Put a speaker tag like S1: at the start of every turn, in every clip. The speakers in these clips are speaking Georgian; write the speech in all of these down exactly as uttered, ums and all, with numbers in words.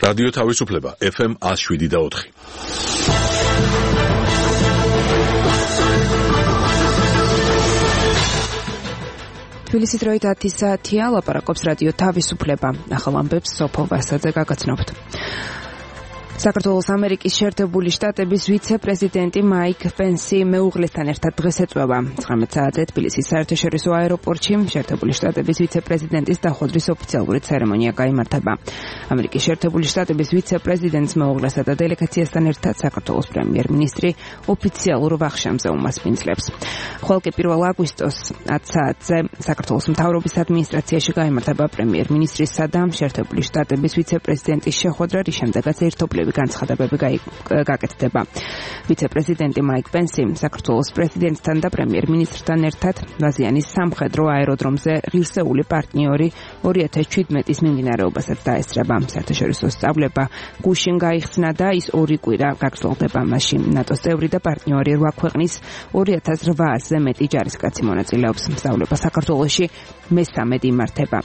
S1: რადიო თავისუფლება ეფ ემ one oh seven და four.
S2: თბილისის დროით ათი საათია, ლაპარაკობს რადიო თავისუფლება. ახალ ამბებს სოფო ვასაძე გაგაცნობთ. საქართველოს ამერიკის შეერთებული შტატების ვიცე-პრეზიდენტი მაიკ პენსი მეუღლესთან ერთად დღეს ეწვევა. ცხრამეტ საათზე თბილისის საერთაშორისო აეროპორტში შეერთებული შტატების ვიცე-პრეზიდენტის დახვედრის ოფიციალური ცერემონია გაიმართება. ამერიკის შეერთებული შტატების ვიცე-პრეზიდენტს მეუღლესა და დელეგაციასთან ერთად საქართველოს პრემიერ-მინისტრი ოფიციალურ ვახშამზე უმასპინძლებს. ხოლო კი პირველ აგვისტოს ათი საათზე საქართველოს მთავრობის ადმინისტრაციაში გაიმართება პრემიერ-მინისტრისა და შეერთებული შტატების ვიცე-პრეზიდენტის შეხვედრა, რის შემდეგაც ერთობლივი განცხადებები გაკეთდება. ვიცე-პრეზიდენტი მაიკ პენსი საქართველოს პრეზიდენტთან და პრემიერ-მინისტრთან ერთად ვაზიანის სამხედრო აეროდრომზე ღირსეული პარტნიორი ორი ათას შვიდმეტის მიმდინარეობასაც დაესწრება. საერთაშორისო სწავლება გუშინ გაიხსნა და ის ორი კვირა გაგრძელდება. მასში ნატოს წევრი და პარტნიორი რვა ქვეყნის ორი ათას რვაასზე მეტი ჯარისკაცი მონაწილეობს. სწავლება საქართველოში მესამედ იმართება.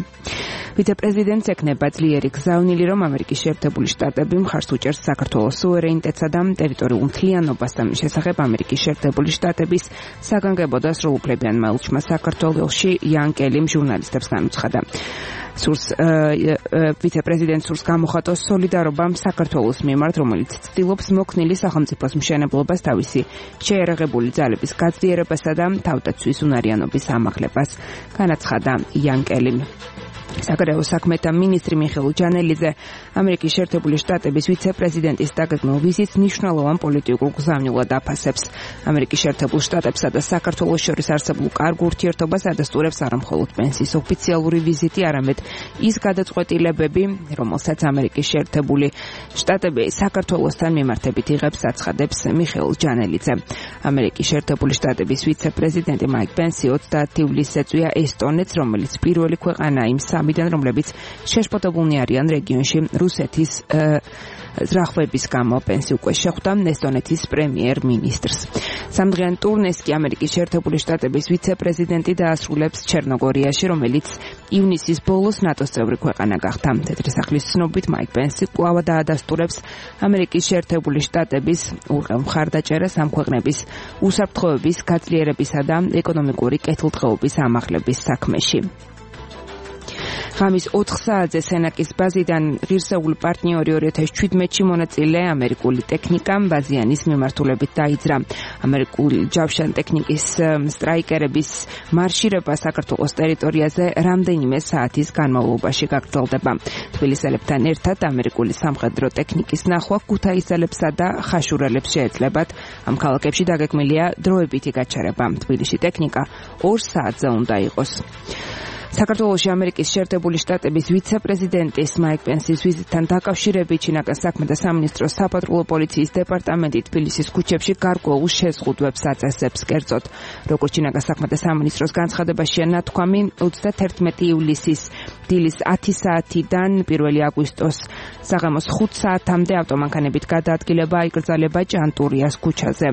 S2: ვიცე-პრეზიდენტს ეკნება ძლიერი გზავნილი, რომ ამერიკის შეერთებული შტატები მხარს უჭერს საქართველოს სუვერენიტეტსა და ტერიტორიულ მთლიანობას და მის შესახებ ამერიკის შეერთებული შტატების საგანგებო და სრულუფლებიან მელჩმა საქართველოში იან კელიმ ჟურნალისტებს განუცხადა. სურს ვიცე-პრეზიდენტს სურს გამოხატოს სოლიდარობამ საქართველოს მიმართ, რომელიც ცდილობს მოქნილი სახელმწიფოს მშენებლობას, თავისი შეერაღებული ძალების გაძლიერებასა და თავდაცვის უნარიანობის ამაღლებას, განაცხადა იან კელიმ. საგარეო საქმეთა მინისტრი მიხეილ ჯანელიძე ამერიკის შეერთებული შტატების ვიცე-პრეზიდენტის დაგეგმილ ვიზიტს მნიშვნელოვან პოლიტიკურ გზავნილად აფასებს. ამერიკის შეერთებულ შტატებსა და საქართველოს შორის არსებულ კარგ ურთიერთობას ადასტურებს არა მხოლოდ პენსის ოფიციალური ვიზიტი, არამედ ის გადაწყვეტილებები, რომელსაც ამერიკის შეერთებული შტატები საქართველოსთან მიმართებით იღებს, აცხადებს მიხეილ ჯანელიძე. ამერიკის შეერთებული შტატების ვიცე-პრეზიდენტი მაიკ პენსი ოცდაათი ივლისს ეწვია ესტონეთს, რომელიც პირველი ქვეყანაა იმ სამიდან, რომლებიც შეშფოთებულნი არიან რეგიონში რუსეთის ზრახვების გამო. პენსი უკვე შეხვდა ესტონეთის პრემიერ-მინისტრს. სამდღიან ტურნეს კი ამერიკის შეერთებული შტატების ვიცე-პრეზიდენტი დაასრულებს ჩერნოგორიაში, რომელიც ივნისის ბოლოს ნატოს წევრი ქვეყანა გახდა. თეთრი სახლის ცნობით მაიკ პენსი კვლავ დაადასტურებს ამერიკის შეერთებული შტატების ურყევ მხარდაჭერას ამ ქვეყნების უსაფრთხოების გაძლიერებისა და ეკონომიკური კეთილდღეობის ამაღლების საქმეში. ღამის ოთხ საათზე სენაკის ბაზიდან ღირსეული პარტნიორი ორი ათას შვიდმეტში მონაწილე ამერიკული ტექნიკა ბაზიანის მიმართულებით დაიძრა. ამერიკული ჯავშან ტექნიკის სტრაიკერების მარშირება საქართველოს ტერიტორიაზე რამდენიმე საათის განმავლობაში გაგრძელდება. თბილისელებთან ერთად ამერიკული სამხედრო ტექნიკის ნახვა ქუთაისელებსა და ხაშურელებს შეეძლებათ. ამ ქალაქებში დაგეგმილია დროებითი გაჩერება. თბილისში ტექნიკა ორ საათზე უნდა იყოს. საქართველოში ამერიკის შეერთებული შტატების ვიცე-პრეზიდენტის მაიკ პენსის ვიზიტთან დაკავშირებით ჩინაგან საქმეთა სამინისტროს საპატრულო პოლიციის დეპარტამენტი თბილისის ქუჩებში გარკვეულ შეზღუდვებს აწესებს. კერძოდ, როგორც ჩინაგან საქმეთა სამინისტროს განცხადებაშია ნათქვამი, ოცდათერთმეტი ივლისის დილის ათი საათიდან პირველი აგვისტოს საღამოს ხუთ საათამდე ავტომანქანებით გადაადგილება აიკრძალება ჭანტურიას ქუჩაზე.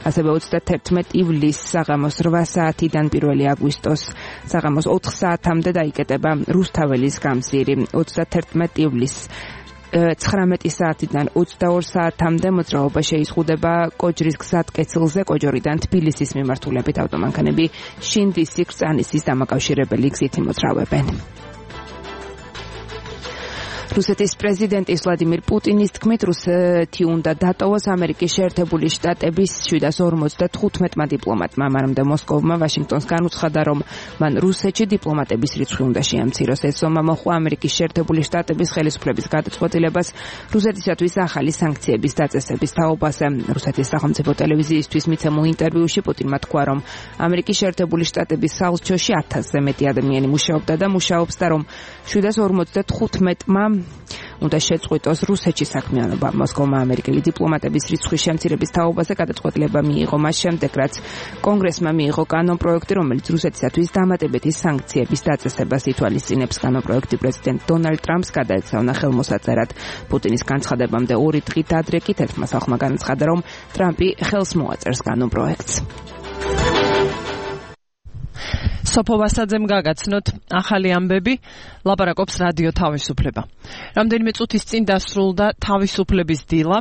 S2: ასევე ოცდათერთმეტი ივლისს საღამოს რვა საათიდან პირველი აგვისტოს საღამოს ოთხ საათამდე დაიკეტება რუსთაველის გამზირი. ოცდათერთმეტი ივლისს ცხრამეტი საათიდან ოცდაორ საათამდე მოძრაობა შეიზღუდება კოჯრის გზატკეცილზე. კოჯორიდან თბილისის მიმართულებით ავტომანქანები შინდისი კრწანისის დამაკავშირებელი გზით იმოძრავებენ. რუსეთის პრეზიდენტის ვლადიმირ პუტინის თქმით, რუსეთი უნდა დატოვოს ამერიკის შეერთებული შტატების შვიდას ორმოცდათხუთმეტმა დიპლომატმა. მანამდე მოსკოვმა ვაშინგტონს განუცხადა, რომ მან რუსეთში დიპლომატების რიცხვი უნდა შეამციროს. ეს ზომა მოჰყვა ამერიკის შეერთებული შტატების ხელისუფლების გადაწყვეტილებას რუსეთისათვის ახალი სანქციების დაწესების თაობაზე. რუსეთის სახელმწიფო ტელევიზიისთვის მიცემულ ინტერვიუში პუტინმა თქვა, რომ ამერიკის შეერთებული შტატების საელჩოში ათასზე მეტი ადამიანი მუშაობდა და მუშაობს და რომ შვიდას ორმოცდათხუთმეტმა უნდა შეწყვიტოს რუსეთში საქმიანობა. მოსკოვმა ამერიკელი დიპლომატების რიცხვის შემცირების თაობაზე გადაწყვეტილება მიიღო მას შემდეგ, რაც კონგრესმა მიიღო კანონპროექტი, რომელიც რუსეთისათვის დამატებითი სანქციების დაწესებას ითვალისწინებს. კანონპროექტი პრეზიდენტ დონალდ ტრამპს გადაეცავნა ხელმოსაწერად. პუტინის განცხადებამდე ორი დღით ადრე კი თერთმა სახლმა განაცხადა, რომ ტრამპი ხელს მოაწერს კანონპროექტს.
S3: სოფო ვასაძემ გაგაცნოთ ახალი ამბები, ლაპარაკობს რადიო თავისუფლება. რამდენიმე წუთის წინ დასრულდა თავისუფლების დილა,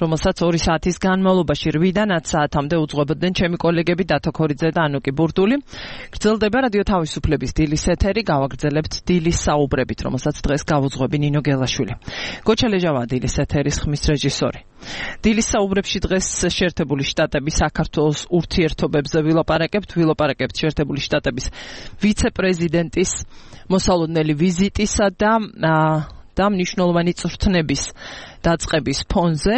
S3: რომელსაც ორი საათის განმავლობაში რვიდან ათ საათამდე უძღვებოდნენ ჩემი კოლეგები დათო ქორიძე და ანუკი ბურდული. გრძელდება რადიო თავისუფლების დილის ეთერი, გავაგრძელებთ დილის საუბრებით, რომელსაც დღეს გავუძღვები ნინო გელაშვილი. გოჩა ლეჟავაა დილის ეთერის ხმის რეჟისორი. დილის საუბრებში დღეს შეერთებული შტატების საქართველოს ურთიერთობებზე ვილაპარაკებთ, ვილაპარაკებთ შეერთებული შტატების ვიცე-პრეზიდენტის მოსალოდნელი ვიზიტისა და და მნიშვნელოვანი წვრთნების დაწყების ფონზე.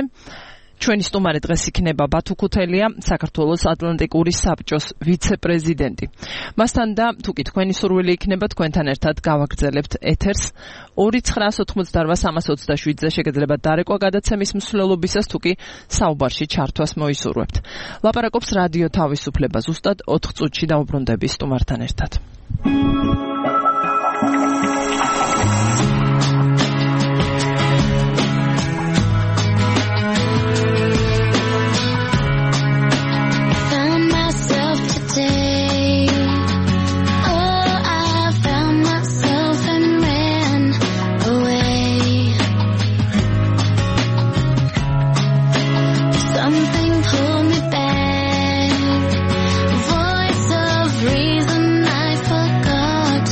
S3: ჩვენი სტუმარი დღეს იქნება ბათუ ქუთელია, საქართველოს ატლანტიკური საბჭოს ვიცე-პრეზიდენტი. მასთან და თუ კი თქვენი სურვილი იქნება, თქვენთან ერთად გავაგრძელებთ ეთერს ორი ცხრაას ოთხმოცდარბა სამას ოცდაშვიდზე შეგეძლებათ დარეკვა გადაცემის მსვლელობისას, თუ კი საუბარში ჩართვას მოისურვებთ. ლაპარაკობს რადიო თავისუფლება, ზუსტად ოთხ წუთში დაუბრუნდები სტუმართან ერთად.
S4: Voice of reason I forgot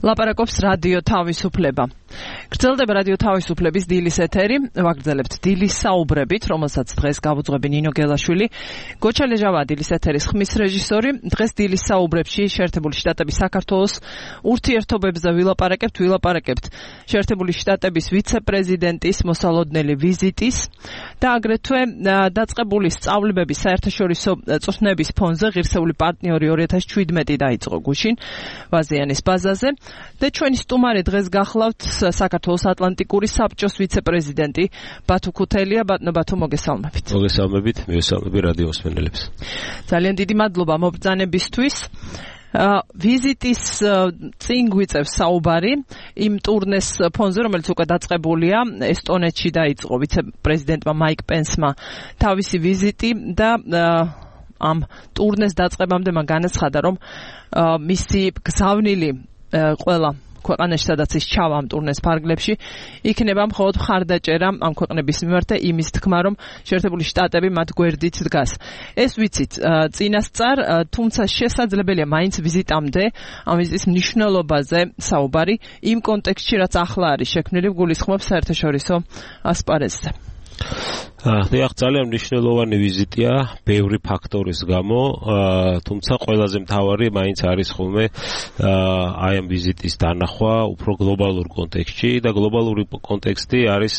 S3: ლაპარაკობს რადიო თავისუფლება. გრძელდება რადიო თავისუფლების დილის ეთერი, ვაგრძელებთ დილის საუბრებით, რომელსაც დღეს გავუძღვები ნინო გელაშვილი. გოჩა ლეჟავა დილის ეთერის ხმის რეჟისორი. დღეს დილის საუბრებში შეერთებული შტატების საქართველოს ურთიერთობებზე ვილაპარაკებთ, ვილაპარაკებთ შეერთებული შტატების ვიცე-პრეზიდენტის მოსალოდნელი ვიზიტის და აგრეთვე დაწყებული სწავლებების საერთაშორისო წვრთნების ფონზე ღირსეული პარტნიორი ორი ათას შვიდმეტი დაიწყო გუშინ ვაზიანის ბაზაზე და ჩვენი სტუმარი დღეს გახლავთ საქართველოს ატლანტიკური საბჭოს ვიცე-პრეზიდენტი ბათუ ქუთელია. ბატონო ბათუ, მოგესალმებით.
S4: მოგესალმებით, მივესალმები რადიო მსმენელებს.
S3: ძალიან დიდი მადლობა მობრძანებისთვის. ვიზიტის წინ გვიწევს საუბარი იმ ტურნეს ფონზე, რომელიც უკვე დაწყებულია. ესტონეთში დაიწყო ვიცე-პრეზიდენტმა მაიკ პენსმა თავისი ვიზიტი და ამ ტურნეს დაწყებამდე მან განაცხადა, რომ მისი გზავნილი ყველა ქვეყანაში, სადაც ის ჩავა ამ ტურნეს ფარგლებში, იქნება მხოლოდ მხარდაჭერა ამ ქვეყნების მიმართ და იმის თქმა, რომ შეერთებული შტატები მათ გვერდით დგას. ეს ვიცით წინასწარ, თუმცა შესაძლებელია მაინც ვიზიტამდე ამ ვიზიტის მნიშვნელობაზე საუბარი იმ კონტექსტში, რაც ახლა არის შექმნილი, გულისხმობს საერთაშორისო ასპარეზზე.
S4: დიახ, ძალიან მნიშვნელოვანი ვიზიტია ბევრი ფაქტორის გამო, თუმცა ყველაზე მთავარი მაინც არის ხოლმე აი ამ ვიზიტის დანახვა უფრო გლობალურ კონტექსტში და გლობალური კონტექსტი არის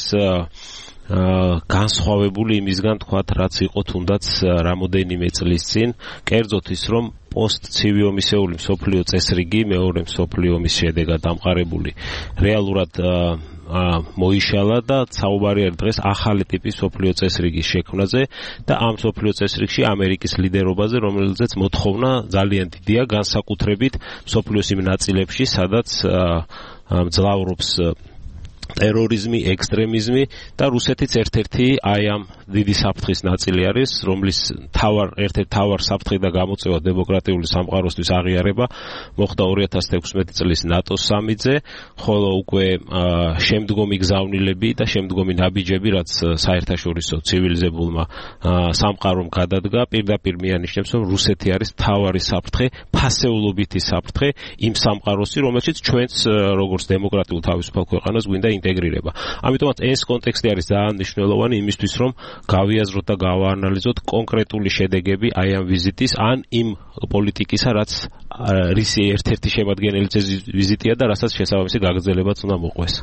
S4: განსხვავებული იმისგან, თქვათ, რაც იყო თუნდაც რამოდენიმე წლის წინ, კერძოდ ის, რომ პოსტ-ცივი ომისეული მსოფლიო წესრიგი მეორე მსოფლიო ომის შედეგად დამყარებული რეალურად მოიშალა და საუბარი არის დღეს ახალი ტიპის მსოფლიო წესრიგის შექმნაზე და ამ მსოფლიო წესრიგში ამერიკის ლიდერობაზე, რომელზეც მოთხოვნა ძალიან დიდია, განსაკუთრებით მსოფლიოს იმ ნაწილებში, სადაც მძლავრობს ტერორიზმი, ექსტრემიზმი და რუსეთიც ერთ-ერთი აი ამ დიდი საფრთხის ნაწილი არის, რომლის თავარ ერთ-ერთი თავარ საფრთხე და გამოწვევა დემოკრატიული სამყაროსთვის აღიარება მოხდა ორი ათას თექვსმეტი წლის ნატოს სამიტზე, ხოლო უკვე შემდგომი გზავნილები და შემდგომი ნაბიჯები, რაც საერთაშორისო ცივილიზებულმა სამყარომ გადადგა, პირდაპირ მიანიშნებს, რომ რუსეთი არის თავარი საფრთხე, ფასეულობითი საფრთხე იმ სამყაროსი, რომელშიც ჩვენც როგორც დემოკრატიულ თავისუფალ ქვეყანას გვინდა ინტეგრირება. ამიტომაც ეს კონტექსტი არის ძალიან მნიშვნელოვანი იმისთვის, რომ გავიაზროთ და გავაანალიზოთ კონკრეტული შედეგები აი ამ ვიზიტის, ან იმ პოლიტიკისა, რაც რისი ერთ-ერთი შემადგენელი ვიზიტია და რასაც შესაბამისი გაგრძელებაც უნდა მოყვეს.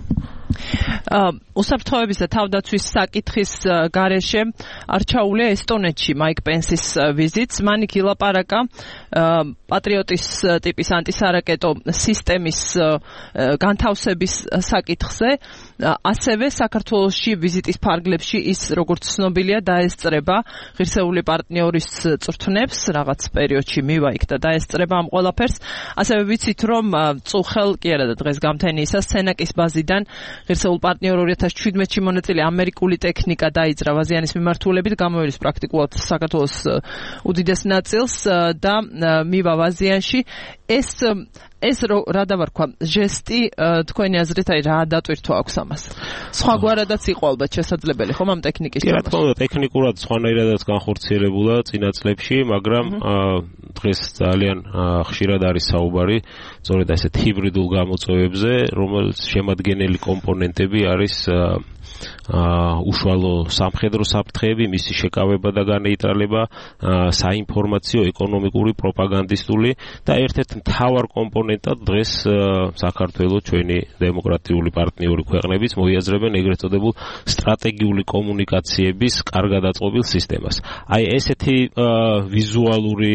S3: უსაფრთხოების და თავდაცვის საკითხის გარეშე არჩეულია ესტონეთში მაიკ პენსის ვიზიტს. მან იქ ილაპარაკა პატრიოტის ტიპის ანტისარაკეტო სისტემის განთავსების საკითხზე. ასევე საქართველოში ვიზიტის ფარგლებში ის, როგორც ცნობილია, დაესწრება ღირსეული პარტნიორის წვრთნებს, რაღაც პერიოდში მივა იქ და დაესწრება ამ ყველაფერს. ასევე ვიცით, რომ წუხელ კი არა და დღეს გამთენიისა სენაკის ბაზიდან ღირსეულ პარტნიორ ორი ათას შვიდმეტში მონაწილე ამერიკული ტექნიკა დაიძრა ვაზიანის მიმართულებით, გამოირის პრაქტიკულად საქართველოს უდიდეს ნაწილს და მივა ვაზიანში. ეს ეს რა დავარქვა ჟესტი თქვენი აზრით აი რა დატვირთვა აქვს ამას? სხვაგვარადაც იყო ალბათ შესაძლებელი ხომ ამ ტექნიკის
S4: კი რა თქმა უნდა, ტექნიკურად სხვანაირადაც განხორციელებულა წინა წლებში, მაგრამ დღეს ძალიან ხშირად არის საუბარი სწორედ ასეთ ჰიბრიდულ გამოწვევებზე, რომელს შემადგენელი კომპონენტები არის უშუალო სამხედრო საფრთხეები, მისი შეკავება და განეიტრალება, საინფორმაციო, ეკონომიკური, პროპაგანდისტული და ერთ-ერთ მთავარ კომპონენტად დღეს საქართველოს ჩვენი დემოკრატიული პარტნიორი ქვეყნებიც მოიაზრებენ ეგრეთ წოდებულ სტრატეგიული კომუნიკაციების კარგად აწყობილ სისტემას. აი ესეთი ვიზუალური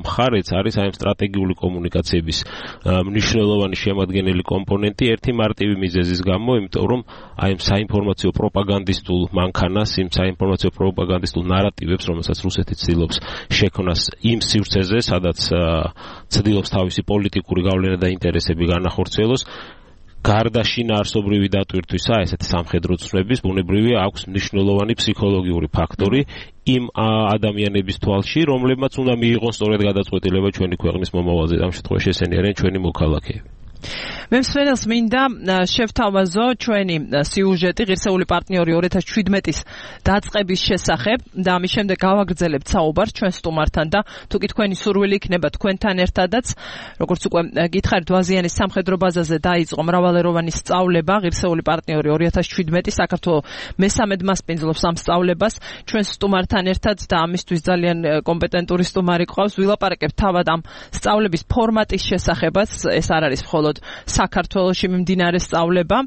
S4: მხარეც არის აი სტრატეგიული კომუნიკაციების მნიშვნელოვანი შემადგენელი კომპონენტი ერთი მარტივი მიზეზის გამო, იმიტომ რომ აი საინფორმაციო პროპაგანდისტულ მანქანას, იმ საინფორმაციო პროპაგანდისტულ ნარატივებს, რომელსაც რუსეთი ცდილობს შექმნას იმ სივრცეზე, სადაც ცდილობს თავისი პოლიტიკური გავლენა და ინტერესები განახორციელოს, გარდა შინაარსობრივი დატვირთვისა, ესეთი სამხედრო ცნების, ბუნებრივია აქვს მნიშვნელოვანი ფსიქოლოგიური ფაქტორი იმ ადამიანების თვალში, რომლებმაც უნდა მიიღონ სწორედ გადაწყვეტილება ჩვენი ქვეყნის მომავალზე. ამ შემთხვევაში ესენი არიან ჩვენი მოქალაქეები.
S3: მე მსმენელს მინდა შევთავაზო ჩვენი სიუჟეტი ღირსეული პარტნიორი ორი ათას შვიდმეტის დაწყების შესახებ და ამის შემდეგ გავაგრძელებთ საუბარს ჩვენ სტუმართან და თუ კი თქვენი სურვილი იქნება თქვენთან ერთადაც როგორც უკვე გითხარით ვაზიანის სამხედრო ბაზაზე დაიწყო მრავალეროვანი სწავლება ღირსეული პარტნიორი ორი ათას შვიდმეტი საქართველოს მესამედ მასპინძლობს ამ სწავლებას ჩვენ სტუმართან ერთად და ამისთვის ძალიან კომპეტენტური სტუმარი ყავს ვილაპარაკებთ თავად ამ სწავლების ფორმატის შესახებაც ეს არ არის მხოლოდ საქართველოში მიმდინარე სწავლება,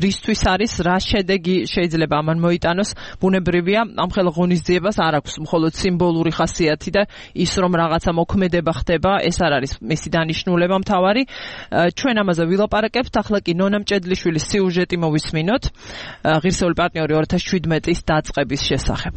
S3: რისთვის არის, რა შედეგი შეიძლება ამან მოიტანოს, ბუნებრივია, ამ ხელ ღონისძიებას არ აქვს მხოლოდ სიმბოლური ხასიათი და ის რომ რაღაცა მოქმედება ხდება, ეს არ არის მისი დანიშნულება მთავარი. ჩვენ ამაზე ვილაპარაკებთ, ახლა კი ნონა მჭედლიშვილის სიუჟეტი მოვისმინოთ, ღირსეული პარტნიორი ორი ათას შვიდმეტის დაწყების შესახებ.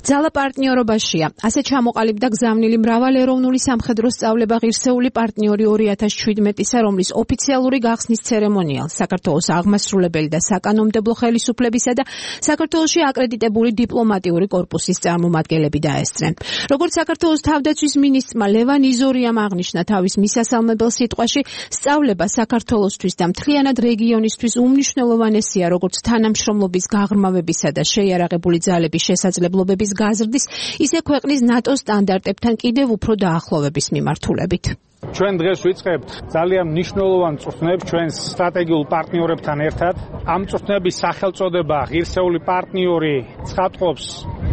S5: ძალა პარტნიორობაშია. ასე ჩამოყალიბდა გზავნილი მრავალეროვნული სამხედრო სწავლება ღირსეული პარტნიორი ორი ათას შვიდმეტისა, რომლის ოფიციალური გახსნის ცერემონიალს საქართველოს აღმასრულებელი და საკანონმდებლო ხელისუფლებისა და საქართველოში აკრედიტებული დიპლომატიური კორპუსის წარმომადგენლები დაესწრნენ. როგორც საქართველოს თავდაცვის მინისტრმა ლევან იზორიამ აღნიშნა თავის მისასალმებელ სიტყვაში, სწავლება საქართველოსთვის და მთლიანად რეგიონისთვის უმნიშვნელოვანესია, როგორც თანამშრომლობის გაღრმავებისა და შეიარაღებული ძალების შესაძლებლობების გაზრდის, ისე ქვეყნის ნატოს სტანდარტებთან კიდევ უფრო დაახლოვების მიმართულებით.
S6: ჩვენ დღეს ვიწყებთ ძალიან მნიშვნელოვან წვრთნებს ჩვენს სტრატეგიულ პარტნიორებთან ერთად. ამ წვრთნების სახელწოდება ღირსეული პარტნიორი ცხადყოფს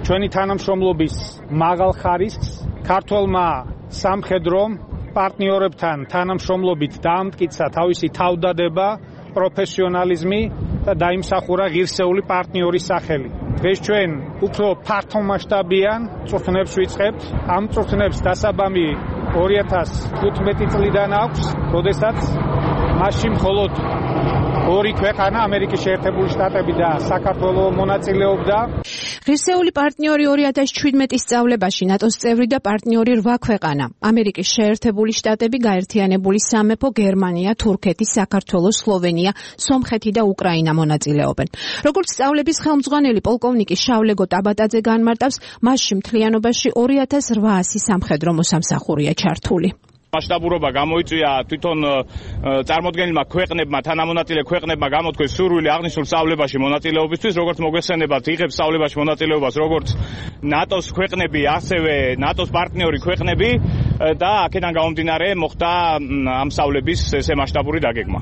S6: ჩვენი თანამშრომლობის მაღალ ხარისხს. ქართველმა სამხედრომ პარტნიორებთან თანამშრომლობით დაამტკიცა თავისი თავდადება, პროფესიონალიზმი და დაიმსახურა ღირსეული პარტნიორის სახელი. დღეს ჩვენ უფრო ფართომასშტაბიან წვრთნებს ვიწყებთ. ამ წვრთნებს დასაბამი ორი ათას თხუთმეტი წლიდან აქვს, როდესაც მასში მხოლოდ ორი ქვეყანა, ამერიკის შეერთებული შტატები და საქართველო მონაწილეობდა.
S5: ღირსეული პარტნიორი ორი ათას შვიდმეტის სწავლებაში ნატოს წევრი და პარტნიორი რვა ქვეყანა: ამერიკის შეერთებული შტატები, გაერთიანებული სამეფო, გერმანია, თურქეთი, საქართველო, სლოვენია, სომხეთი და უკრაინა მონაწილეობენ. როგორც სწავლების ხელმძღვანელი პოლკოვნიკი შავლეგო ტაბატაძე განმარტავს, მასში მთლიანობაში ორი ათას რვაასი სამხედრო მოსამსახურია ჩართული.
S7: მასშტაბურობა გამოიწვია თვითონ წარმოდგენილმა ქვეყნებმა, თანამონაწილე ქვეყნებმა გამოთქვეს სურვილი აღნიშნულ სწავლებაში მონაწილეობისთვის, როგორც მოგესწრებათ, იღებს სწავლებაში მონაწილეობას როგორც ნატოს ქვეყნები, ასევე ნატოს პარტნიორი ქვეყნები და აქედან გამომდინარე მოხდა ამ სწავლების ესე მასშტაბური დაგეგმა.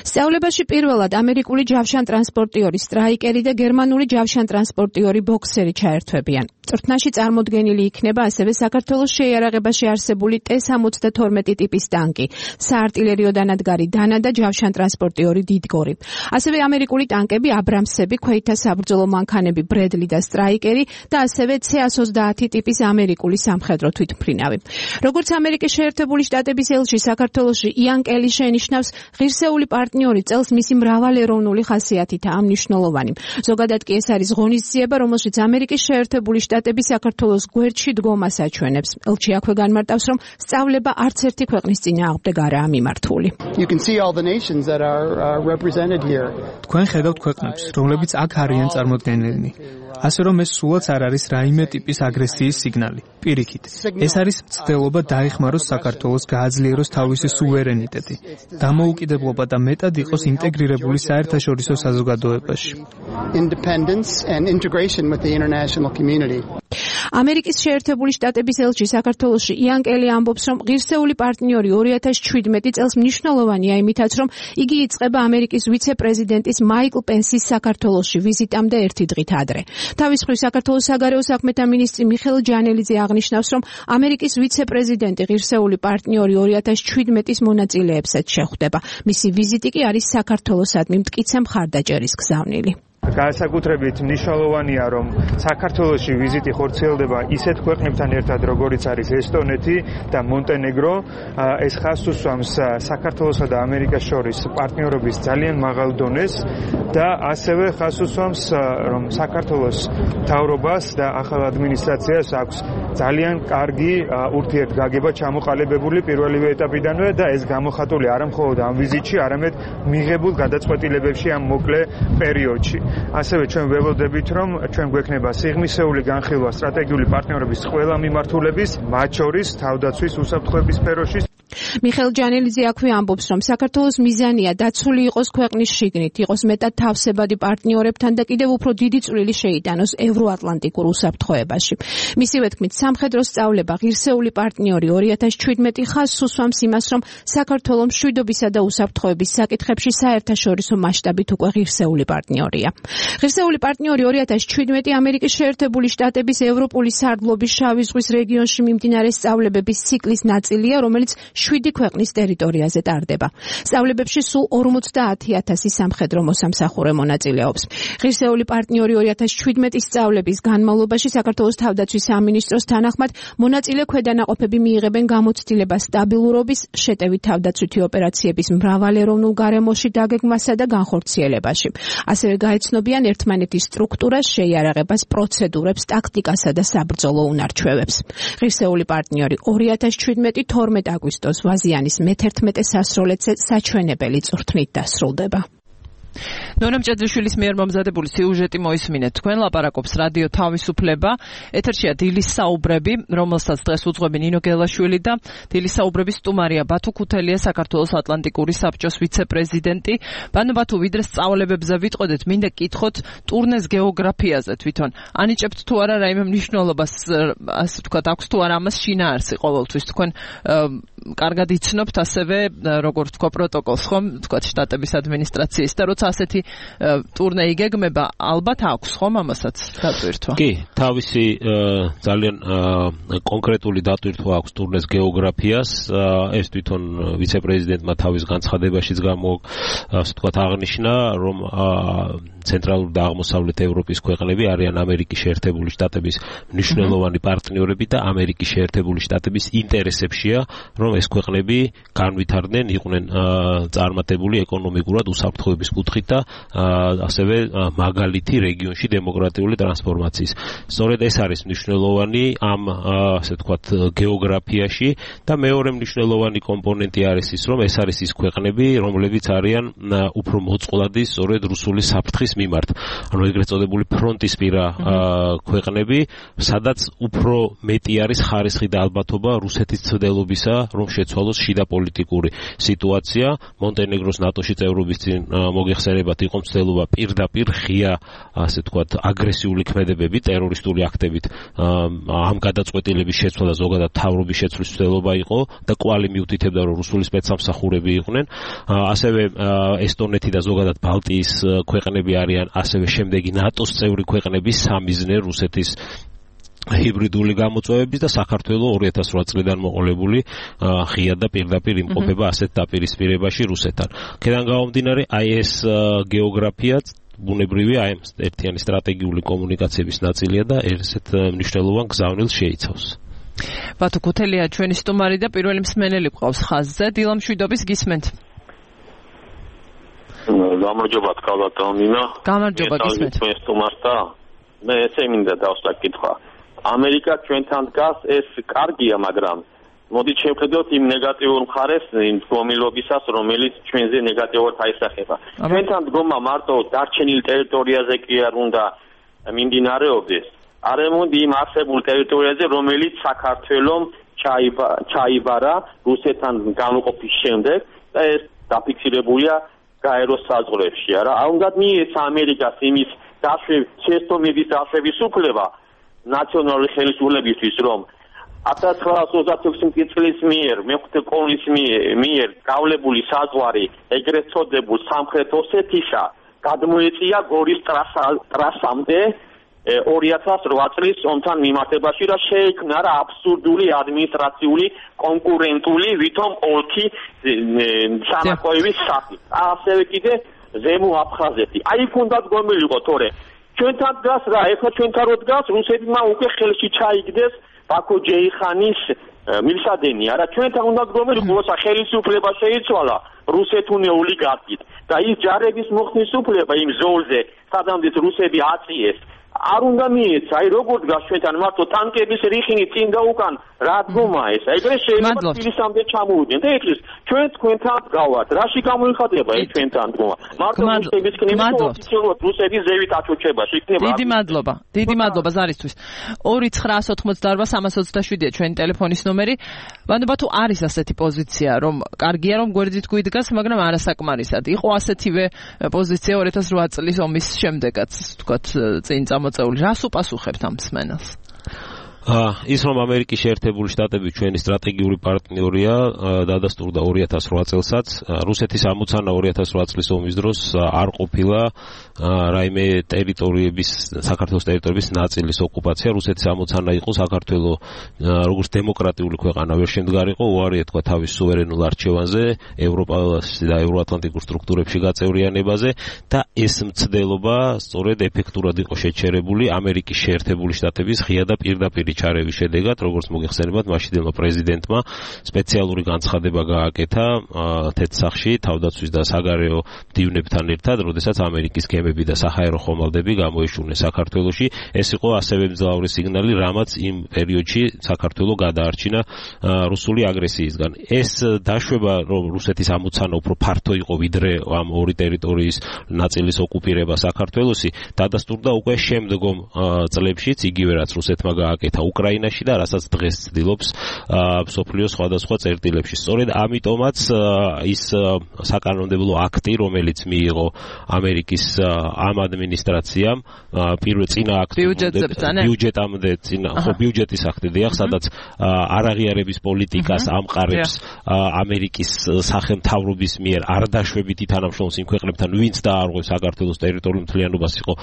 S5: სწავლებაში პირველად ამერიკული ჯავშანტრანსპორტიორი სტრაიკერი და გერმანული ჯავშანტრანსპორტიორი ბოქსერი ჩაერთვებიან. წვრთნაში წარმოდგენილი იქნება ასევე საქართველოს შეიარაღებაში არსებული ტე სამოცდათორმეტი ტიპის ტანკი, საარტილერიო დანადგარი დანა და ჯავშანტრანსპორტიორი დიდგორი. ასევე ამერიკული ტანკები აბრამსები, ქვეითთა საბრძოლო მანქანები ბრედლი და სტრაიკერი და ასევე ცე ას ოცდაათი ტიპის ამერიკული სამხედრო თვითმფრინავი. როგორც ამერიკის შეერთებული შტატების ელჩი საქართველოში იან კელი შენიშნავს, ღირსეული პარტნიორი წელს მისი მრავალეროვნული ხასიათითაა მნიშვნელოვანი. ზოგადად კი ეს არის ღონისძიება, რომელშიც ამერიკის შეერთებული შტატები საქართველოს გვერდში დგომას აჩვენებს. ელჩი აქვე განმარტავს, რომ სწავლება არც ერთი ქვეყნის წინააღმდეგ არაა მიმართული.
S8: თქვენ ხედავთ ქვეყნებს, რომლებიც აქ არიან წარმოდგენილნი. ასე რომ ეს სულაც არ არის რაიმე ტიპის აგრესიის სიგნალი. პირიქით, ეს არის მცდელობა დაეხმაროს საქართველოს, გააძლიეროს თავისი სუვერენიტეტი, დამოუკიდებლობა და მეტად იყოს ინტეგრირებული საერთაშორისო საზოგადოებაში.
S5: ამერიკის შეერთებული შტატების ელჩი საქართველოში იან კელი ამბობს, რომ ღირსეული პარტნიორი ორი ათას შვიდმეტი წელს მნიშვნელოვანია იმითაც, რომ იგი იწყება ამერიკის ვიცე-პრეზიდენტის მაიკლ პენსის საქართველოში ვიზიტამდე ერთი დღით ადრე. თავის მხრივ საქართველოს საგარეო საქმეთა მინისტრი მიხეილ ჯანელიძე აღნიშნავს, რომ ამერიკის ვიცე-პრეზიდენტი ღირსეული პარტნიორი ორი ათას შვიდმეტის მონაწილეებსაც შეხვდება. მისი ვიზიტი კი არის საქართველოსადმი მტკიცე მხარდაჭერის გზავნილი.
S9: განსაკუთრებით მნიშვნელოვანია, რომ საქართველოში ვიზიტი ხორციელდება ისეთ ქვეყნებთან ერთად, როგორიც არის ესტონეთი და მონტენეგრო. ეს ხაზს უსვამს საქართველოსა და ამერიკას შორის პარტნიორობის ძალიან მაღალ დონეს და ასევე ხაზს უსვამს, რომ საქართველოს მთავრობას და ახალ ადმინისტრაციას აქვს ძალიან კარგი ურთიერთგაგება ჩამოყალიბებული პირველივე ეტაპიდანვე და ეს გამოხატული არა მხოლოდ ამ ვიზიტში, არამედ მიღებულ გადაწყვეტილებებში ამ მოკლე პერიოდში. ასევე ჩვენ ველოდებით, რომ ჩვენ გვექნება სიღრმისეული განხილვა სტრატეგიული პარტნიორობის ყველა მიმართულების, მათ შორის თავდაცვის უსაფრთხოების სფეროში.
S5: მიხეილ ჯანელიძე აქვე ამბობს, რომ საქართველოს მიზანია დაცული იყოს ქვეყნის შიგნით, იყოს მეტად თავსებადი პარტნიორებთან და კიდევ უფრო დიდი წვლილი შეიტანოს ევროატლანტიკურ უსაფრთხოებაში. მისივე თქმით, სამხედრო სწავლება ღირსეული პარტნიორი ორი ათას ჩვიდმეტი ხაზს უსვამს იმას, რომ საქართველო მშვიდობისა და უსაფრთხოების საკითხებში საერთაშორისო მასშტაბით უკვე ღირსეული პარტნიორია. ღირსეული პარტნიორი ორი ათას ჩვიდმეტი ამერიკის შეერთებული შტატების ევროპული სარდლობის შავი ზღვის რეგიონში მიმდინარე სწავლებების ციკლის ნაწილია, რომელიც შვიდი ქვეყნის ტერიტორიაზე ტარდება. სწავლებებში სულ ორმოცდაათი ათასი სამხედრო მოსამსახურე მონაწილეობს. ღირსეული პარტნიორი ორი ათას ჩვიდმეტი სწავლების განმავლობაში საქართველოს თავდაცვის სამინისტროს თანახმად მონაწილე ქვედანაყოფები მიიღებენ გამოცდილებას სტაბილურობის, შეტევით თავდაცვითი ოპერაციების მრავალეროვნულ გარემოში დაგეგმვასა და განხორციელებაში. ასევე გაეცნობიან ერთმანეთის სტრუქტურას, შეიარაღებას, პროცედურებს, ტაქტიკასა და საბრძოლო უნარჩვევებს. ღირსეული პარტნიორი ორი ათას ჩვიდმეტი თორმეტ აგვისტოს ვაზიანის მეთერთმეტე სასროლეთზე საჩვენებელი წვრთნით დასრულდება.
S3: ნონა მჭედლიშვილის მიერ მომზადებული სიუჟეტი მოისმინეთ. თქვენ ლაპარაკობს რადიო თავისუფლება. ეთერშია დილის საუბრები, რომელსაც დღეს უძღვები ნინო გელაშვილი და დილის საუბრების სტუმარია ბათუ ქუთელია, საქართველოს ატლანტიკური საბჭოს ვიცე-პრეზიდენტი. ბანო ბათუ, ვიდრე სწავლებებზე ვიტყოდეთ, მინდა გკითხოთ ტურნეს გეოგრაფიაზე თვითონ. ანიჭებთ თუ არა რაიმე მნიშვნელობას, ასე ვთქვათ, აქვს თუ არა ამას შინაარსი ყოველთვის? თქვენ კარგად იცნობთ ასევე, როგორც თქვა პროტოკოლს, ხომ, ვთქვათ, შტატების ადმინისტრაციის და როცა ასეთი ტურნე იგეგმება, ალბათ აქვს ხომ ამასაც დატვირთვა?
S4: კი, თავისი ძალიან კონკრეტული დატვირთვა აქვს ტურნეს გეოგრაფიას. ეს თვითონ ვიცე-პრეზიდენტმა თავის განცხადებაშიც გამო, ასე ვთქვათ, აღნიშნა, რომ ცენტრალური და აღმოსავლეთ ევროპის ქვეყნები არიან ამერიკის შეერთებული შტატების მნიშვნელოვანი პარტნიორები და ამერიკის შეერთებული შტატების ინტერესებშია, რომ ეს ქვეყნები განვითარდნენ, იყვნენ წარმატებული ეკონომიკურად უსაფრთხოების კუთხით და ასევე მაგალითი რეგიონში დემოკრატიული ტრანსფორმაციის. სწორედ ეს არის მნიშვნელოვანი ამ ასე ვთქვათ გეოგრაფიაში და მეორე მნიშვნელოვანი კომპონენტი არის ის, რომ ეს არის ის ქვეყნები, რომლებიც არიან უფრო მოწყვლადი სწორედ რუსული საფრთხის მიმართ. ანუ ეგრეთ წოდებული ფრონტისპირა ქვეყნები, სადაც უფრო მეტი არის ხარისხი და ალბათობა რუსეთის ცდელობისა, რომ შეცვალოს შიდა პოლიტიკური სიტუაცია. მონტენეგროს ნატოში წევრობის წინ მოგეხსენებათ, იყო მცდელობა პირდაპირ ღია, ასე ვთქვათ, აგრესიული ქმედებები, ტერორისტული აქტებით ამ გადაწყვეტილების შეცვლა და ზოგადად თავრობის შეცვლის მცდელობა იყო და კვალი მიუთითებდა, რომ რუსული სპეცსამსახურები იყვნენ. ასევე ესტონეთი და ზოგადად ბალტიის ქვეყნები არიან ასევე შემდეგი ნატოს წევრი ქვეყნების სამიზნე რუსეთის ჰიბრიდული გამოწვევების და საქართველოს ორი ათას ორი წლიდან მოყოლებული ღია და პირდაპირ იმყოფება ასეთ დაპირისპირებაში რუსეთთან. ქედან გამომდინარე, აი ეს გეოგრაფია ბუნებრივია, აი ერთიანი სტრატეგიული კომუნიკაციების ნაწილია და ესეთ მნიშვნელოვან გზავნილს შეიცავს.
S3: ბათუ ქუთელია ჩვენი სტუმარი და პირველი მსმენელი ყავს ხაზზე. დილა მშვიდობის, გისმენთ?
S10: გამარჯობა, კალატონინა.
S3: გამარჯობა, გისმენთ.
S10: თქვენ სტუმარს და მე ესე მინდა დავსვა კითხვა. ამერიკა ჩვენთან დგას, ეს კარგია, მაგრამ მოდით შევხედოთ იმ ნეგატიურ მხარეს, იმ დგომილობისას, რომელიც ჩვენზე ნეგატიურად აისახება. ჩვენთან დგომა მარტო დარჩენილ ტერიტორიაზე კი არ უნდა მიმდინარეობდეს, არამედ იმ არსებულ ტერიტორიაზე, რომელიც საქართველოს ჩაიბარა რუსეთთან განუყოფის შემდეგ და ეს დაფიქსირებულია გაეროს საზღვრებში. არა, არ უნდა მიეცა ამერიკას იმის შეცდომების დაშვების უფლება ნაციონალური ხელისუფლებისთვის, რომ ათას ცხრაასი ოცდაექვსი წლის მიერ მეხუთე კოლონის მიერ გავლებული საზღვარი ეგრეთ წოდებულ სამხრეთ ოსეთისა გადმოეწია გორის ტრასამდე ორი ათას რვა წლის ომთან მიმართებაში და შეიქმნა რა აბსურდული ადმინისტრაციული კონკურენტული ვითომ ოლქი სანაკოევის სახით. ასევე კიდე ზემო აფხაზეთი. აი ქონდა დგომილიყო თორე ჩვენთან დგას რა, ეხლა ჩვენთან რო დგას, რუსეთმა უკვე ხელში ჩაიგდეს ბაქო ჯეიხანის მილსადენი, არა, ჩვენთან უნდა დგომილიყო, როცა ხელისუფლება შეიცვალა რუსეთუნე ოლიგარქით და ის ჯარების მოხსნის უფლება იმ ზოლზე, სადამდე რუსები აწიეს არ უნდა მიეცა, აი როგორ დგას ჩვენთან მართო ტანკების რიხინი წინ და უკან რა დგომა ეს? აი ეს შეიძლება თბილისამდე ჩამოვიდნენ და ეხლა ჩვენ თქვენთან გავართ. რაში გამოიხატება ეს ჩვენთან დგომა? მართო რუსების კნიბით ოფიციალურად რუსების ზევით აჩოჩება შეკნება.
S3: დიდი მადლობა. დიდი მადლობა ზარისთვის. ორი ცხრაას ოთხმოცდაარბა სამას ოცდაშვიდია ჩვენი ტელეფონის ნომერი. ვანობა თუ არის ასეთი პოზიცია, რომ კარგია რომ გვერდით გვიდგას, მაგრამ არასაკმარისად. იყო ასეთივე პოზიცია ორი ათას რვა წლის ომის შემდეგაც, თქვათ, წინ მოწეული. რას უპასუხებთ ამ მსმენელს?
S4: ის რომ ამერიკის შეერთებული შტატები ჩვენი სტრატეგიული პარტნიორია, დადასტურდა ორი ათას რვა წელსაც. რუსეთის ამოცანა ორი ათას რვა წლის ომის დროს არ ყოფილა რაიმე ტერიტორიების, საქართველოს ტერიტორიების ნაწილის ოკუპაცია. რუსეთის ამოცანა იყო საქართველოს როგორც დემოკრატიული ქვეყანა ვერ შემდგარიყო, უარია თქვა თავის სუვერენულ არჩევანზე, ევროპასა და ევროატლანტიკურ სტრუქტურებში გაწევრიანებაზე და ეს მცდელობა სწორედ ეფექტურად იყო შეჩერებული ამერიკის შეერთებული შტატების ღია და პირდაპირ ჩარევის შედეგად, როგორც მოგეხსენებათ, მაშინდელმა პრეზიდენტმა სპეციალური განცხადება გააკეთა თეთრსახში თავდაცვის და საგარეო მდივნებთან ერთად, როდესაც ამერიკის გემები და საჰაერო ხომალდები გამოეშურნენ საქართველოში. ეს იყო ასევე მძლავრი სიგნალი, რამაც იმ პერიოდში საქართველო გადაარჩინა რუსული აგრესიისგან. ეს დაშვება, რომ რუსეთის ამოცანა უფრო ფართო იყო ვიდრე ამ ორი ტერიტორიის ნაწილის ოკუპირება საქართველოსი, დადასტურდა უკვე შემდგომ წლებშიც, იგივე რაც რუსეთმა გააკეთა უკრაინაში და რასაც დღეს ცდილობს მსოფლიოს სხვადასხვა წერტილებში. სწორედ ამიტომაც ის საკანონმდებლო აქტი, რომელიც მიიღო ამერიკის ამ ადმინისტრაციამ, პირველ წინა აქტი ბიუჯეტამდე წინა ხო ბიუჯეტის აქტი დიახ, სადაც არაღიარების პოლიტიკას ამყარებს ამერიკის სახელმთავრობის მიერ არ დაშვებითი თანამშრომლობის იმ ქვეყნებთან, ვინც დაარღვევს საქართველოს ტერიტორიულ მთლიანობას, იყო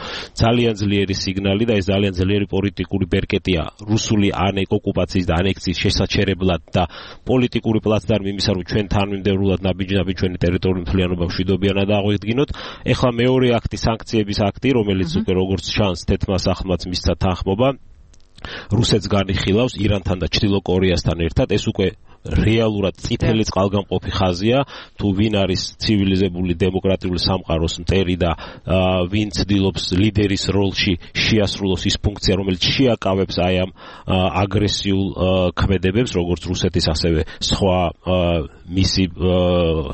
S4: ძალიან ძლიერი სიგნალი და ეს ძალიან ძლიერი პოლიტიკური ბერკეტია რუსული ოკუპაციის და ანექსიის შესაჩერებლად და პოლიტიკური პლაცდარმი იმისა, რომ ჩვენ თანმიმდევრულად ნაბიჯ-ნაბიჯ ჩვენი ტერიტორიული მთლიანობა მშვიდობიანად აღვიდგინოთ. ეხლა მეორე აქტი, სანქციების აქტი, რომელიც უკვე როგორც ჩანს თეთრმა სახლმაც მისცა თანხმობა, რუსეთს განიხილავს ირანთან და ჩრდილო კორეასთან ერთად. ეს უკვე რეალურად წითელი წყალგამყოფი ხაზია, თუ ვინ არის ცივილიზებული დემოკრატიული სამყაროს მტერი და ვინ ცდილობს ლიდერის როლში შეასრულოს ის ფუნქცია, რომელიც შეაკავებს აი ამ აგრესიულ ქმედებებს, როგორც რუსეთის, ასევე სხვა მისი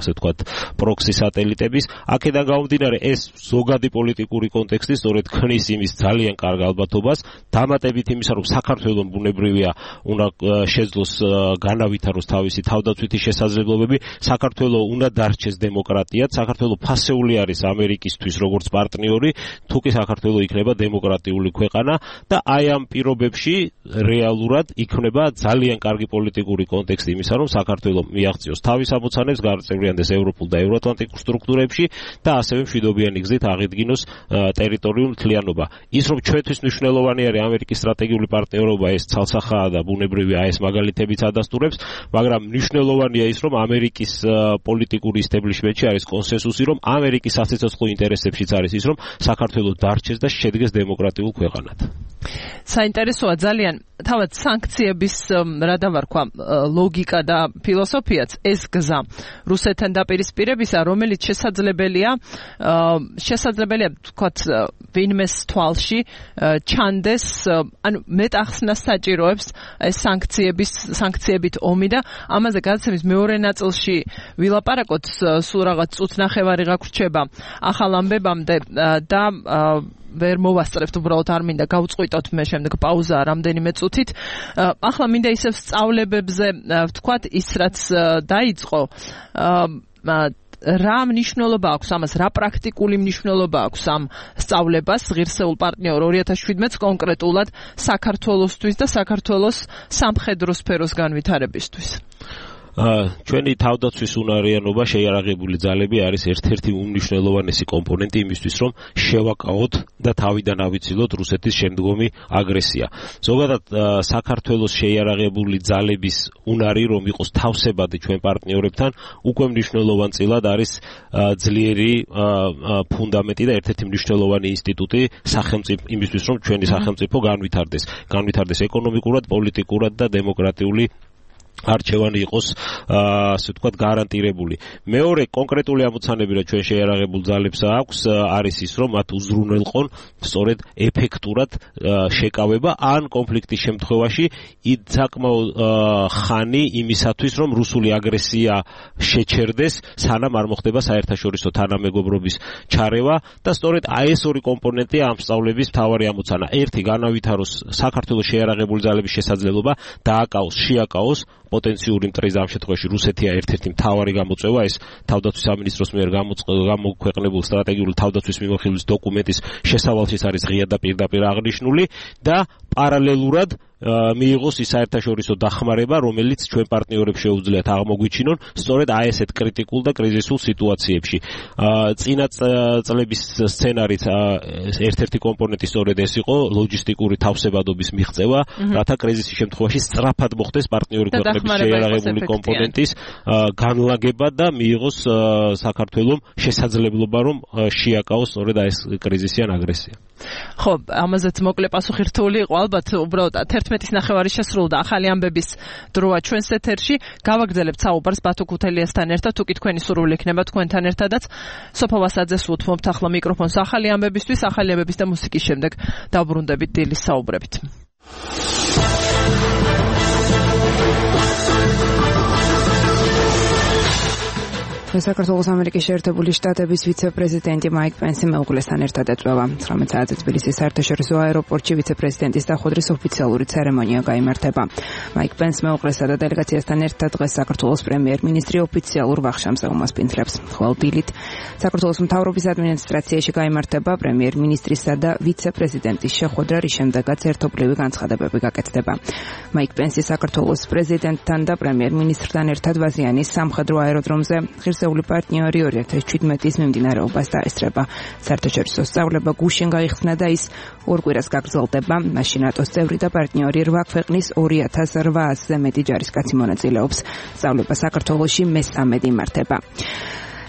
S4: ასე ვთქვათ პროქსი სატელიტების. აქედან გამომდინარე, ეს ზოგადი პოლიტიკური კონტექსტი სწორედ ქმნის იმის ძალიან კარგ ალბათობას, დამატებით იმისა, რომ საქართველოს ბუნებრივია უნდა შეძლოს განავითაროს თავისი თავდაცვითი შესაძლებლობები, საქართველოს უნდა დარჩეს დემოკრატიად, საქართველოს ფასეული არის ამერიკისთვის როგორც პარტნიორი, თუკი საქართველოს იქნება დემოკრატიული ქვეყანა და აი ამ პირობებში რეალურად იქნება ძალიან კარგი პოლიტიკური კონტექსტი იმისა, რომ საქართველოს მიაღწიოს თავის ამოცანებს, გაწევრიანდეს ევროპულ და ევროატლანტიკურ სტრუქტურებში და ასევე მშვიდობიანი გზით აღიდგინოს ტერიტორიული მთლიანობა. ის რომ ჩვენთვის მნიშვნელოვანი არის ამერიკის სტრატეგიული პარტნიორობა, ეს ცალსახაა და ბუნებრივია ეს მაგალითებიც ადასტურებს, მაგრამ მნიშვნელოვანია ის, რომ ამერიკის პოლიტიკური ისტაბლიშმენტში არის კონსენსუსი, რომ ამერიკის სასიცოცხლო ინტერესებშიც არის ის, რომ საქართველოს დარჩეს და შედგეს დემოკრატიულ ქვეყანად.
S3: საინტერესოა ძალიან თავად სანქციების რა დავარქვა ლოგიკა და ფილოსოფიაც ეს გზა რუსეთთან დაპირისპირებისა, რომელიც შესაძლებელია შესაძლებელია თქვათ ვინმეს თვალში ჩანდეს, ანუ მეტახსნას საჭიროებს ეს სანქციების სანქციებით ომი და ამაზე გადაცემის მეორე ნაწილში ვილაპარაკოთ, სულ რაღაც წუთ ნახევარი გაგვრჩება ახალ ამბებამდე და ვერ მოვასწრებთ, უბრალოდ არ მინდა გავწყვიტოთ მე შემდეგ პაუზა რამდენიმე წუთით. ახლა მინდა ისევ სწავლებებზე ვთქვათ, ის რაც დაიწყო, რა მნიშვნელობა აქვს ამას, რა პრაქტიკული მნიშვნელობა აქვს ამ სწავლებას ღირსეულ პარტნიორ ორი ათას შვიდმეტს კონკრეტულად საქართველოსთვის და საქართველოს სამხედრო სფეროს განვითარებისთვის?
S4: ჩვენი თავდაცვის უნარიანობა, შეიარაღებული ძალები არის ერთ-ერთი უმნიშვნელოვანესი კომპონენტი იმისთვის, რომ შევაკავოთ და თავიდან ავიცილოთ რუსეთის შემდგომი აგრესია. ზოგადად საქართველოს შეიარაღებული ძალების უნარი, რომ იყოს თავსებადი ჩვენ პარტნიორებთან, უკვე მნიშვნელოვანწილად არის ძლიერი ფუნდამენტი და ერთ-ერთი მნიშვნელოვანი ინსტიტუტი სახელმწიფო იმისთვის, რომ ჩვენი სახელმწიფო განვითარდეს, განვითარდეს ეკონომიკურად, პოლიტიკურად და დემოკრატიული არჩევანი იყოს ასე ვთქვათ გარანტირებული. მეორე კონკრეტული ამოცანები რა ჩვენ შეიარაღებულ ძალებს აქვს არის ის რომ მათ უზრუნველყონ სწორედ ეფექტურად შეკავება ან კონფლიქტის შემთხვევაში საკმაო ხანი იმისათვის რომ რუსული აგრესია შეჩერდეს სანამ არ მოხდება საერთაშორისო თანამეგობრობის ჩარევა და სწორედ აი ეს ორი კომპონენტია ამ სწავლების მთავარი ამოცანა. ერთი განავითაროს საქართველოს შეიარაღებული ძალების შესაძლებლობა დააკავოს, შეაკავოს პოტენციური მტრის ამ შემთხვევაში რუსეთია ერთ-ერთი მთავარი გამოწვევა ეს თავდაცვის სამინისტროს მიერ გამოქვეყნებულ სტრატეგიული თავდაცვის მიმოხილვის დოკუმენტის შესავალშიც არის ღია და პირდაპირ აღნიშნული და პარალელურად მიიღოს ის საერთაშორისო დახმარება, რომელიც ჩვენ პარტნიორებს შეუძლიათ აღმოგვიჩინონ სწორედ აი ესეთ კრიტიკულ და კრიზისულ სიტუაციებში. წინა წლების სცენარით ერთ-ერთი კომპონენტი სწორედ ეს იყო ლოჯისტიკური თავსებადობის მიღწევა, რათა კრიზისის შემთხვევაში სწრაფად მოხდეს პარტნიორი ქვეყნების შეიარაღებული კომპონენტის განლაგება და მიიღოს საქართველოს შესაძლებლობა რომ შეაკავოს სწორედ აი ეს კრიზისი ან აგრესია.
S3: ხო, ამაზეც მოკლე პასუხი რთული იყო, ალბათ უბრალოდ თერთმეტის ნახევარი შესრულდა ახალი ამბების დროა ჩვენს ეთერში. გავაგრძელებთ საუბარს ბათო ქუთელიასთან ერთად, თუ კი თქვენი სურვილი იქნება თქვენთან ერთადაც. სოფო ვასაძეს უთმობთ ახლა მიკროფონს ახალი ამბებისთვის, ახალი ამბების და მუსიკის შემდეგ დავბრუნდებით დილის საუბრებით.
S2: საქართველოს ამერიკის შეერთებული შტატების ვიცე-პრეზიდენტი მაიკ პენსი მეუღლესთან ერთად ეწვევა. ცხრამეტ საათზე თბილისის საერთაშორისო აეროპორტში ვიცე-პრეზიდენტის დახოდრის ოფიციალური ცერემონია გაიმართება. მაიკ პენს მეუღლესა და დელეგაციასთან ერთად დღეს საქართველოს პრემიერ-მინისტრი ოფიციალურ ვახშამსეულს პინთლებს. ხოლო დილით საქართველოს მთავრობის ადმინისტრაციაში გაიმართება პრემიერ-მინისტრისა და ვიცე-პრეზიდენტის შეხვედრა, რის შემდეგაც ერთობლივი განცხადებები გაკეთდება. მაიკ პენსი საქართველოს პრეზიდენტთან და პრემიერ-მინისტრთან ერთად ვაზიანის სამხედრო აეროდრომზე ღირსეული პარტნიორი ორი ათას შვიდმეტის მიმდინარეობას დაესწრება. საერთაშორისო სწავლება გუშინ გაიხსნა და ის ორ კვირას გაგრძელდება. მაშინ ნატოს წევრი და პარტნიორი რვა ქვეყნის ორი ათას რვაასზე მეტი ჯარისკაცი მონაწილეობს. სწავლება საქართველოში მესამედ იმართება.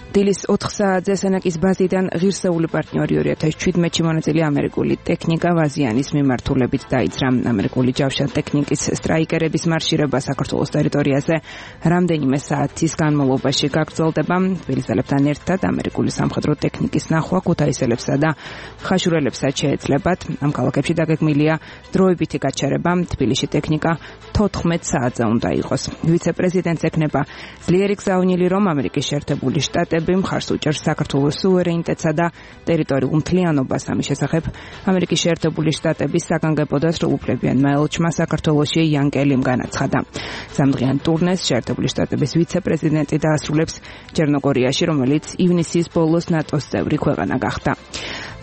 S2: დილის ოთხ საათზე სენაკის ბაზიდან ღირსეული პარტნიორი ორი ათას შვიდმეტში მონაწილე ამერიკული ტექნიკა ვაზიანის მიმართულებით დაიძრა. ამერიკული ჯავშა ტექნიკის სტრაიკერების მარშირება საქართველოს ტერიტორიაზე რამდენიმე საათის განმავლობაში გაგრძელდება. თბილისელებთან ერთად ამერიკული სამხედრო ტექნიკის ნახვა ქუთაისელებსა და ხაშურელებსაც შეეძლებათ. ამ ქალაქებში დაგეგმილია დროებითი გაჩერება. თბილისში ტექნიკა თოთხმეტ საათზე უნდა იყოს. ვიცე-პრეზიდენტს ეკნება ძლიერი გზავნილი, რომ ამერიკის შეერთებული შტატები მხარს უჭერს საქართველოს სუვერენიტეტსა და ტერიტორიულ მთლიანობას. ამის შესახებ ამერიკის შეერთებული შტატების საგანგებო და სრულუფლებიანმა ელჩმა საქართველოში იან კელიმ განაცხადა. სამდღიან ტურნეს შეერთებული შტატების ვიცე-პრეზიდენტი დაასრულებს ჩერნოგორიაში, რომელიც ივნისის ბოლოს ნატოს წევრი ქვეყანა გახდა.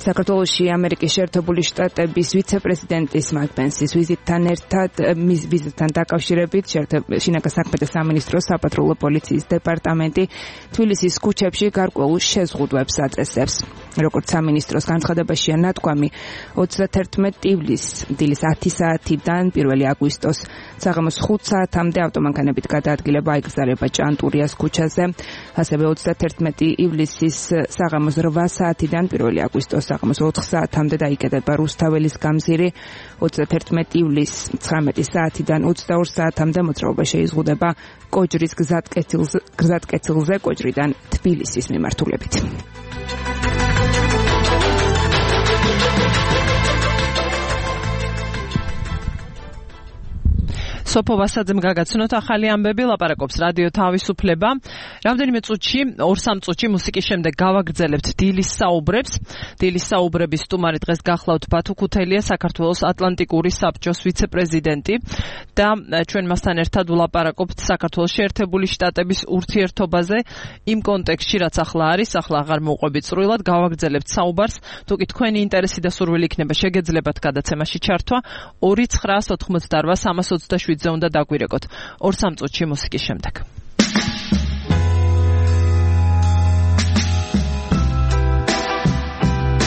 S2: საქართველოში ამერიკის შეერთებული შტატების ვიცე-პრეზიდენტის მაიკ პენსის ვიზიტთან ერთად მის ვიზიტთან დაკავშირებით შინაგან საქმეთა სამინისტროს საპატრულო პოლიციის დეპარტამენტი თბილისის ქუჩებში გარკვეულ შეზღუდვებს აწესებს. როგორც სამინისტროს განცხადებაშია ნათქვამი, ოცდათერთმეტ ივლისს დილის ათი საათიდან პირველი აგვისტოს საღამოს ხუთ საათამდე ავტომანქანებით გადაადგილება აიგრძელება ჭანტურიას ქუჩაზე. ასევე ოცდათერთმეტი ივლისის საღამოს რვა საათიდან პირველი აგვისტოს საღამოს ოთხ საათამდე დაიკეტება რუსთაველის გამზირი. ოცდათერთმეტ ივლისს ცხრამეტი საათიდან ოცდაორ საათამდე მოძრაობა შეიზღუდება კოჯრის გზატკეცილზე კოჯრიდან თბილისის მიმართულებით.
S3: სოფო ვასაძემ გაგაცნოთ ახალი ამბები, ლაპარაკობს რადიო თავისუფლება. რამდენიმე წუთში, ორ სამ წუთში მუსიკის შემდეგ გავაგრძელებთ დილის საუბრებს. დილის საუბრების სტუმარი დღეს გახლავთ ბათო ქუთელია, საქართველოს ატლანტიკური საბჭოს ვიცე-პრეზიდენტი და ჩვენ მასთან ერთად ვლაპარაკობთ საქართველოს შეერთებული შტატების ურთიერთობაზე იმ კონტექსტში, რაც ახლა არის, ახლა აღარ მოუყვებით სრულად, გავაგრძელებთ საუბარს. თუ კი თქვენი ინტერესი და სურვილი იქნება, შეგეძლებათ გადაცემაში ჩართვა ორი ცხრაას ოთხმოცდარვა სამას ოცდაშვიდზე უნდა დაგვირეკოთ. ორ სამ წუთში მუსიკის შემდეგ.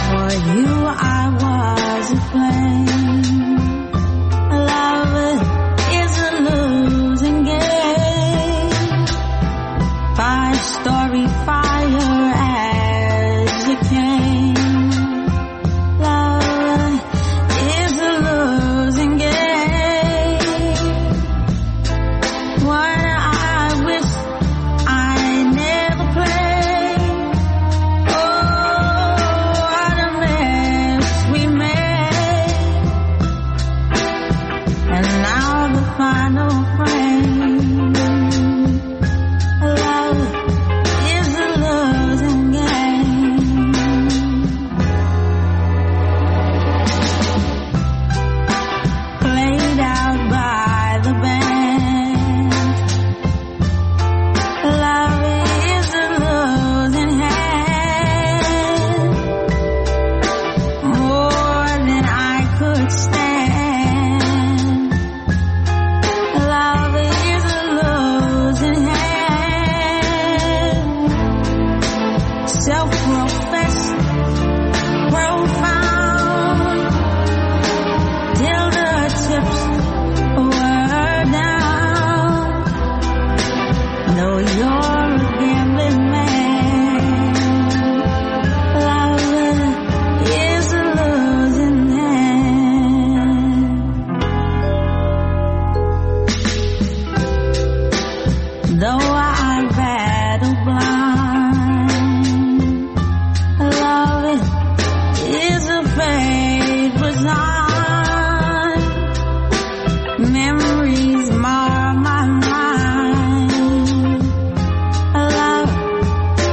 S11: For you I was a flame. Love is a losing game. Five story fire as it came. Love is a losing game. One fate was on. Memories mar my mind. Love,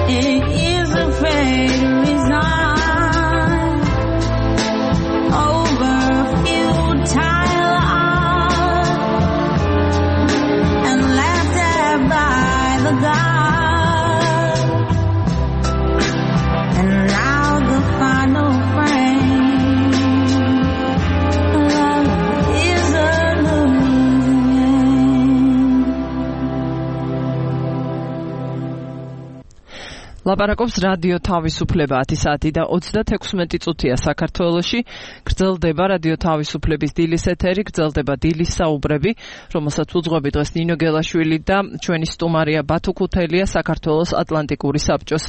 S11: it is afraid to resign over a futile art and laughed at by the God. And now the final frame. Love is a losing game.
S3: ლაპარაკობს რადიო თავისუფლება ათი საათი და ოცდათექვსმეტი წუთია საქართველოში. გრძელდება რადიო თავისუფლების დილის ეთერი, გრძელდება დილის საუბრები, რომელსაც უძღვები დღეს ნინო გელაშვილი და ჩვენი სტუმარია ბათუ ქუთელია, საქართველოს ატლანტიკური საბჭოს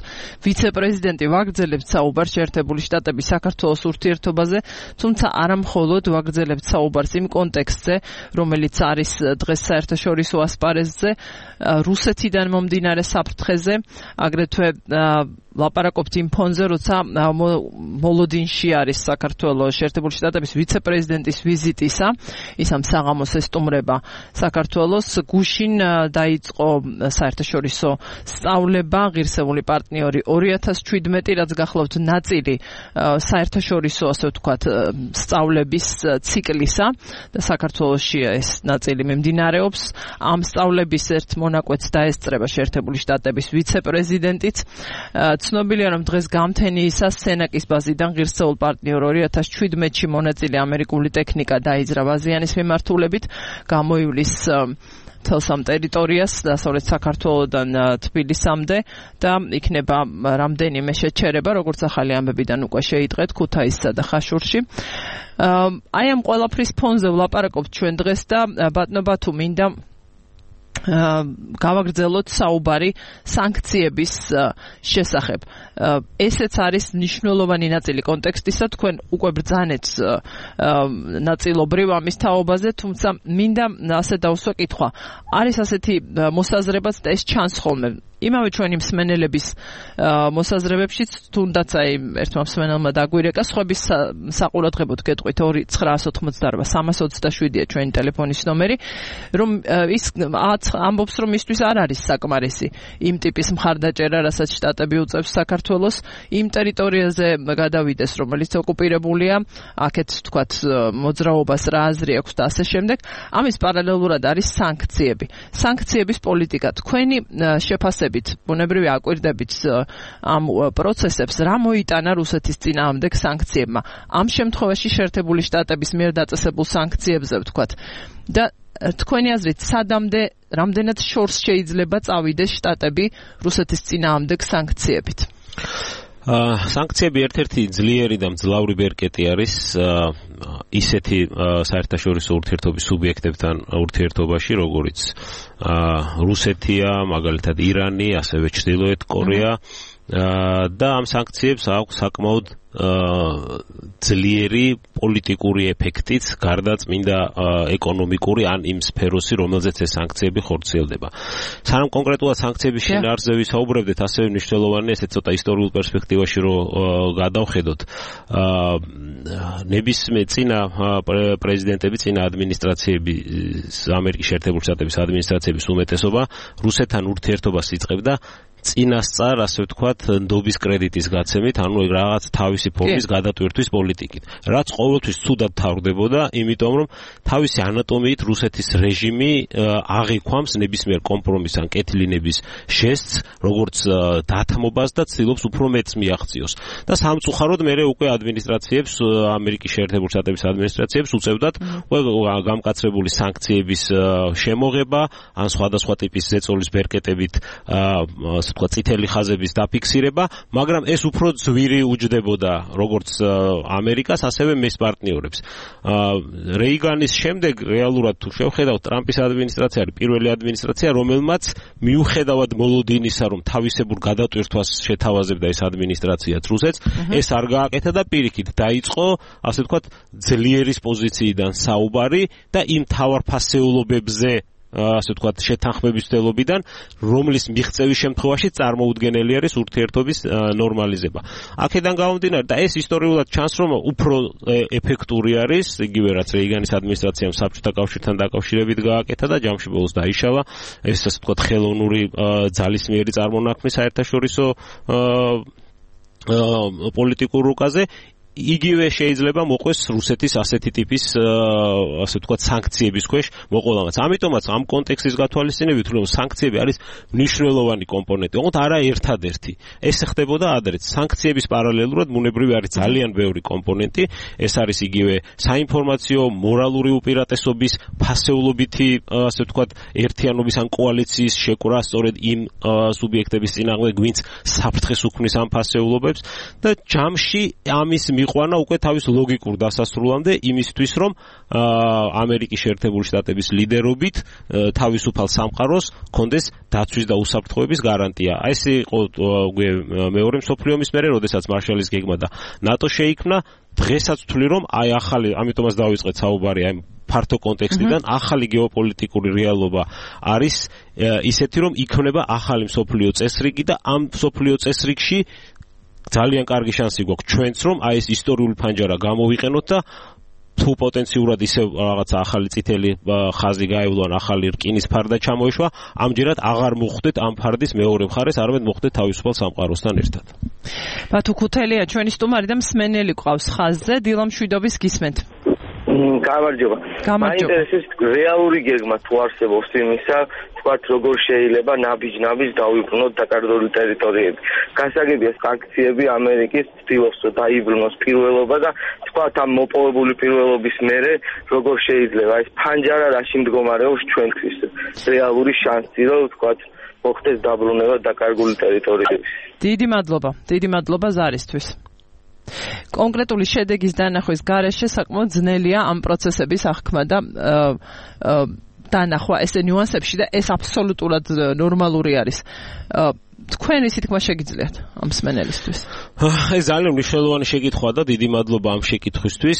S3: ვიცე-პრეზიდენტი. ვაგრძელებთ საუბარს შეერთებული შტატების საქართველოს ურთიერთობაზე, თუმცა არა მხოლოდ ვაგრძელებთ საუბარს იმ კონტექსტზე, რომელიც არის დღეს საერთაშორისო ასპარეზზე, რუსეთიდან მომდინარე საფრთხეზე, აგრეთვე ლაპარაკობთ იმ ფონზე, როცა მოლოდინში არის საქართველოს შეერთებული შტატების ვიცე-პრეზიდენტის ვიზიტისა, ის ამ საღამოს ესტუმრება საქართველოს. გუშინ დაიწყო საერთაშორისო სწავლება, ღირსეული პარტნიორი ორი ათას შვიდმეტი, რაც გახლავთ ნაწილი საერთაშორისო, ასე ვთქვათ, სწავლების ციკლისა და საქართველოში ეს ნაწილი მიმდინარეობს. ამ სწავლების ერთ მონაკვეთს დაესწრება შეერთებული შტატების ვიცე-პრეზიდენტიც. ცნობილია, რომ დღეს გამთენიისას სენაკის ბაზიდან ღირსეულ პარტნიორ ორი ათას შვიდმეტში მონაწილე ამერიკული ტექნიკა დაიძრა ბაზიანის მიმართულებით, გამოივლის მთელს ამ ტერიტორიას დასავლეთ საქართველოდან თბილისამდე და იქნება რამდენიმე შეჩერება, როგორც ახალი ამბებიდან უკვე შეიტყეთ ქუთაისსა და ხაშურში. აი ამ ყველაფრის ფონზე ვლაპარაკობთ ჩვენ დღეს და ბატონო ბათუ, მინდა გავაგრძელოთ საუბარი სანქციების შესახებ. ესეც არის მნიშვნელოვანი ნაწილი კონტექსტისა, თქვენ უკვე ბრძანეთ ნაწილობრივ ამის თაობაზე, თუმცა მინდა ასე დავსვა კითხვა. არის ასეთი მოსაზრებაც და ეს ჩანს ხოლმე იმავე ჩვენი მსმენელების მოსაზრებებშიც, თუნდაც აი ერთმა მსმენელმა დაგვირეკა, სხვების საყურადღებოდ გეტყვით ორი ცხრაას ოცდაოთხ სამას ოცდაშვიდია ჩვენი ტელეფონის ნომერი, რომ ის ამბობს, რომ მისთვის არ არის საკმარისი იმ ტიპის მხარდაჭერა, რასაც შტატები უწევს საქართველოს იმ ტერიტორიაზე გადავიდეს, რომელიც ოკუპირებულია, აქეთ თქვათ მოძრაობას რა აზრი აქვს და ასე შემდეგ. ამის პარალელურად არის სანქციები. სანქციების პოლიტიკა. თქვენი შეფასებით, ბუნებრივი აკვირდებით ამ პროცესებს, რა მოიტანა რუსეთის წინააღმდეგ სანქციებმა? ამ შემთხვევაში შეერთებული შტატების მიერ დაწესებულ სანქციებზე ვთქვათ და თქვენი აზრით, სადამდე, რამდენად შორს შეიძლება წავიდეს შტატები რუსეთის წინააღმდეგ სანქციებით?
S4: სანქციები ერთ-ერთი ძლიერი და მძლავრი ბერკეტი არის ისეთი საერთაშორისო ურთიერთობის სუბიექტებთან ურთიერთობაში, როგორიც რუსეთია, მაგალითად ირანი, ასევე ჩრდილოეთ კორეა და ამ სანქციებს აქვს საკმაოდ ძლიერი პოლიტიკური ეფექტიც, გარდა წმინდა ეკონომიკური ან იმ სფეროსი, რომელზეც ეს სანქციები ხორციელდება. სანამ კონკრეტულად სანქციების შინაარსზე ვისაუბრებდეთ, ასევე მნიშვნელოვანია ესეც ცოტა ისტორიულ პერსპექტივაში რომ გადავხედოთ. ნებისმიერ წინა პრეზიდენტები, წინა ადმინისტრაციები, ამერიკის შეერთებული შტატების ადმინისტრაციების უმეტესობა რუსეთთან ურთიერთობას იწყებდა წინასწარ, ასე ვთქვათ, ნდობის კრედიტის გაცემით, ანუ რაღაც თავისი ფორმის გადატვირთვის პოლიტიკით. რაც ყოველთვის ცუდად თავრდებოდა, იმიტომ რომ თავისი ანატომიით რუსეთის რეჟიმი აღიქვამს ნებისმიერ კომპრომისს ან კეთილინების ჟესტს, როგორც დათმობას და ცდილობს უფრო მეტს მიაღწიოს. და სამწუხაროდ მერე უკვე ადმინისტრაციებს, ამერიკის შეერთებული შტატების ადმინისტრაციებს უწევდათ გამკაცრებული სანქციების შემოღება, ან სხვადასხვა ტიპის ზეწოლის ბერკეტებით თქვა წითელი ხაზების დაფიქსირება, მაგრამ ეს უფრო ძვირი უჯდებოდა როგორც ამერიკას, ასევე მის პარტნიორებს. რეიგანის შემდეგ რეალურად თუ შევხედავთ, ტრამპის ადმინისტრაცია არის პირველი ადმინისტრაცია, რომელმაც მიუხედავად მოლოდინისა, რომ თავისებურ გადატვირთვას შეთავაზებდა ეს ადმინისტრაციაც რუსეთს, ეს არ გააკეთა და პირიქით დაიწყო, ასე ვთქვათ, ძლიერის პოზიციიდან საუბარი და იმ თავარფასეულობებზე ასე ვთქვათ, შეთანხმების მცდელობიდან, რომლის მიღწევის შემთხვევაში წარმოუდგენელი არის ურთიერთობის ნორმალიზება. აქედან გამომდინარე და ეს ისტორიულად ჩანს, რომ უფრო ეფექტური არის, იგივე რაც რეიგანის ადმინისტრაციამ საბჭოთა კავშირთან დაკავშირებით გააკეთა და ჯამში ბოლოს დაიშალა, ეს ასე ვთქვათ, ხელოვნური ძალისმიერი წარმონაქმნი საერთაშორისო პოლიტიკურ რუკაზე. იგივე შეიძლება მოყვეს რუსეთის ასეთი ტიპის ასე ვთქვათ სანქციების ქვეშ მოყოლამაც. ამიტომაც ამ კონტექსტის გათვალისწინებით რომ სანქციები არის მნიშვნელოვანი კომპონენტი, ოღონდ არა ერთადერთი. ეს ხდებოდა ადრეც. სანქციების პარალელურად ბუნებრივი არის ძალიან ბევრი კომპონენტი. ეს არის იგივე საინფორმაციო, მორალური უპირატესობის, ფასეულობითი ასე ვთქვათ ერთიანობის ან კოალიციის შეკვრა სწორედ იმ სუბიექტების წინააღმდეგ, ვინც საფრთხეს უქმნის ამ ფასეულობებს და ჯამში ამის ყვანა უკვე თავის ლოგიკურ დასასრულამდე იმისთვის, რომ ამერიკის შეერთებული შტატების ლიდერობით თავისუფალ სამყაროს კონდეს დაცვის და უსაფრთხოების გარანტია. აი ეს იყო მეორე მსოფლიო ომის მერე, როდესაც მარშალის გეგმა და ნატო შეიქმნა. დღესაც ვთვლი, რომ აი ახალი, ამიტომაც დავიწყეთ საუბარი აი ფართო კონტექსტიდან, ახალი გეოპოლიტიკური რეალობა არის ისეთი, რომ იქმნება ახალი მსოფლიო წესრიგი და ამ მსოფლიო წესრიგში ძალიან კარგი შანსი გვაქვს ჩვენც, რომ აი ეს ისტორიული ფანჯარა გამოვიყენოთ და თუ პოტენციურად ისე რაღაცა ახალი წითელი ხაზი გაევლო ან ახალი რკინის ფარდა ჩამოეშვა, ამჯერად აღარ მოხვდეთ ამ ფარდის მეორე მხარეს, არამედ მოხვდეთ თავისუფალ სამყაროსთან ერთად.
S3: ბათუ ქუთელია ჩვენი სტუმარი და მსმენელი ყავს ხაზზე, დილა მშვიდობის გისმენთ.
S12: გამარჯობა. მაინტერესებს რეალური გეგმა თუ არსებობს იმისა, თქვათ როგორ შეიძლება ნაბიჯ-ნაბიჯ დაუიბრუნოთ დაკარგული ტერიტორიები. გასაგებია სანქციები ამერიკის ცდილობს დაიბრუნოს პირველობა და თქვათ ამ მოპოვებული პირველობის მერე როგორ შეიძლება ეს ფანჯარა რაში მდგომარეობს ჩვენთვის რეალური შანსი რომ თქვათ მოხდეს დაბრუნება დაკარგული ტერიტორიების.
S3: დიდი მადლობა. დიდი მადლობა ზარისთვის. კონკრეტული შედეგის დანახვის გარეშე საკმაოდ ძნელია ამ პროცესების აღქმა და დანახვა ესე ნიუანსებში და ეს აბსოლუტურად ნორმალური არის. თქვენ ისი თქმა შეგიძლიათ ამ მსმენელისთვის?
S4: ეს ძალიან მნიშვნელოვანი შეკითხვაა და დიდი მადლობა ამ შეკითხვისთვის.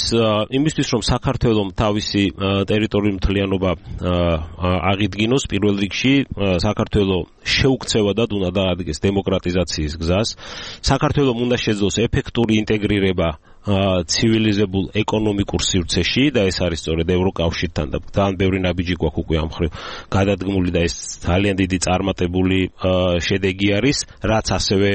S4: იმისთვის რომ საქართველოს თავისი ტერიტორიული მთლიანობა აღიდგინოს, პირველ რიგში საქართველოს შეუქცევადად უნდა დაადგეს დემოკრატიზაციის გზას. საქართველოს უნდა შეძლოს ეფექტური ინტეგრირება ცივილიზებულ ეკონომიკურ სივრცეში და ეს არის სწორედ ევროკავშირთან და ძალიან ბევრი ნაბიჯი გვაქვს უკვე ამ მხრივ გადადგმული და ეს ძალიან დიდი წარმატებული შედეგი არის, რაც ასევე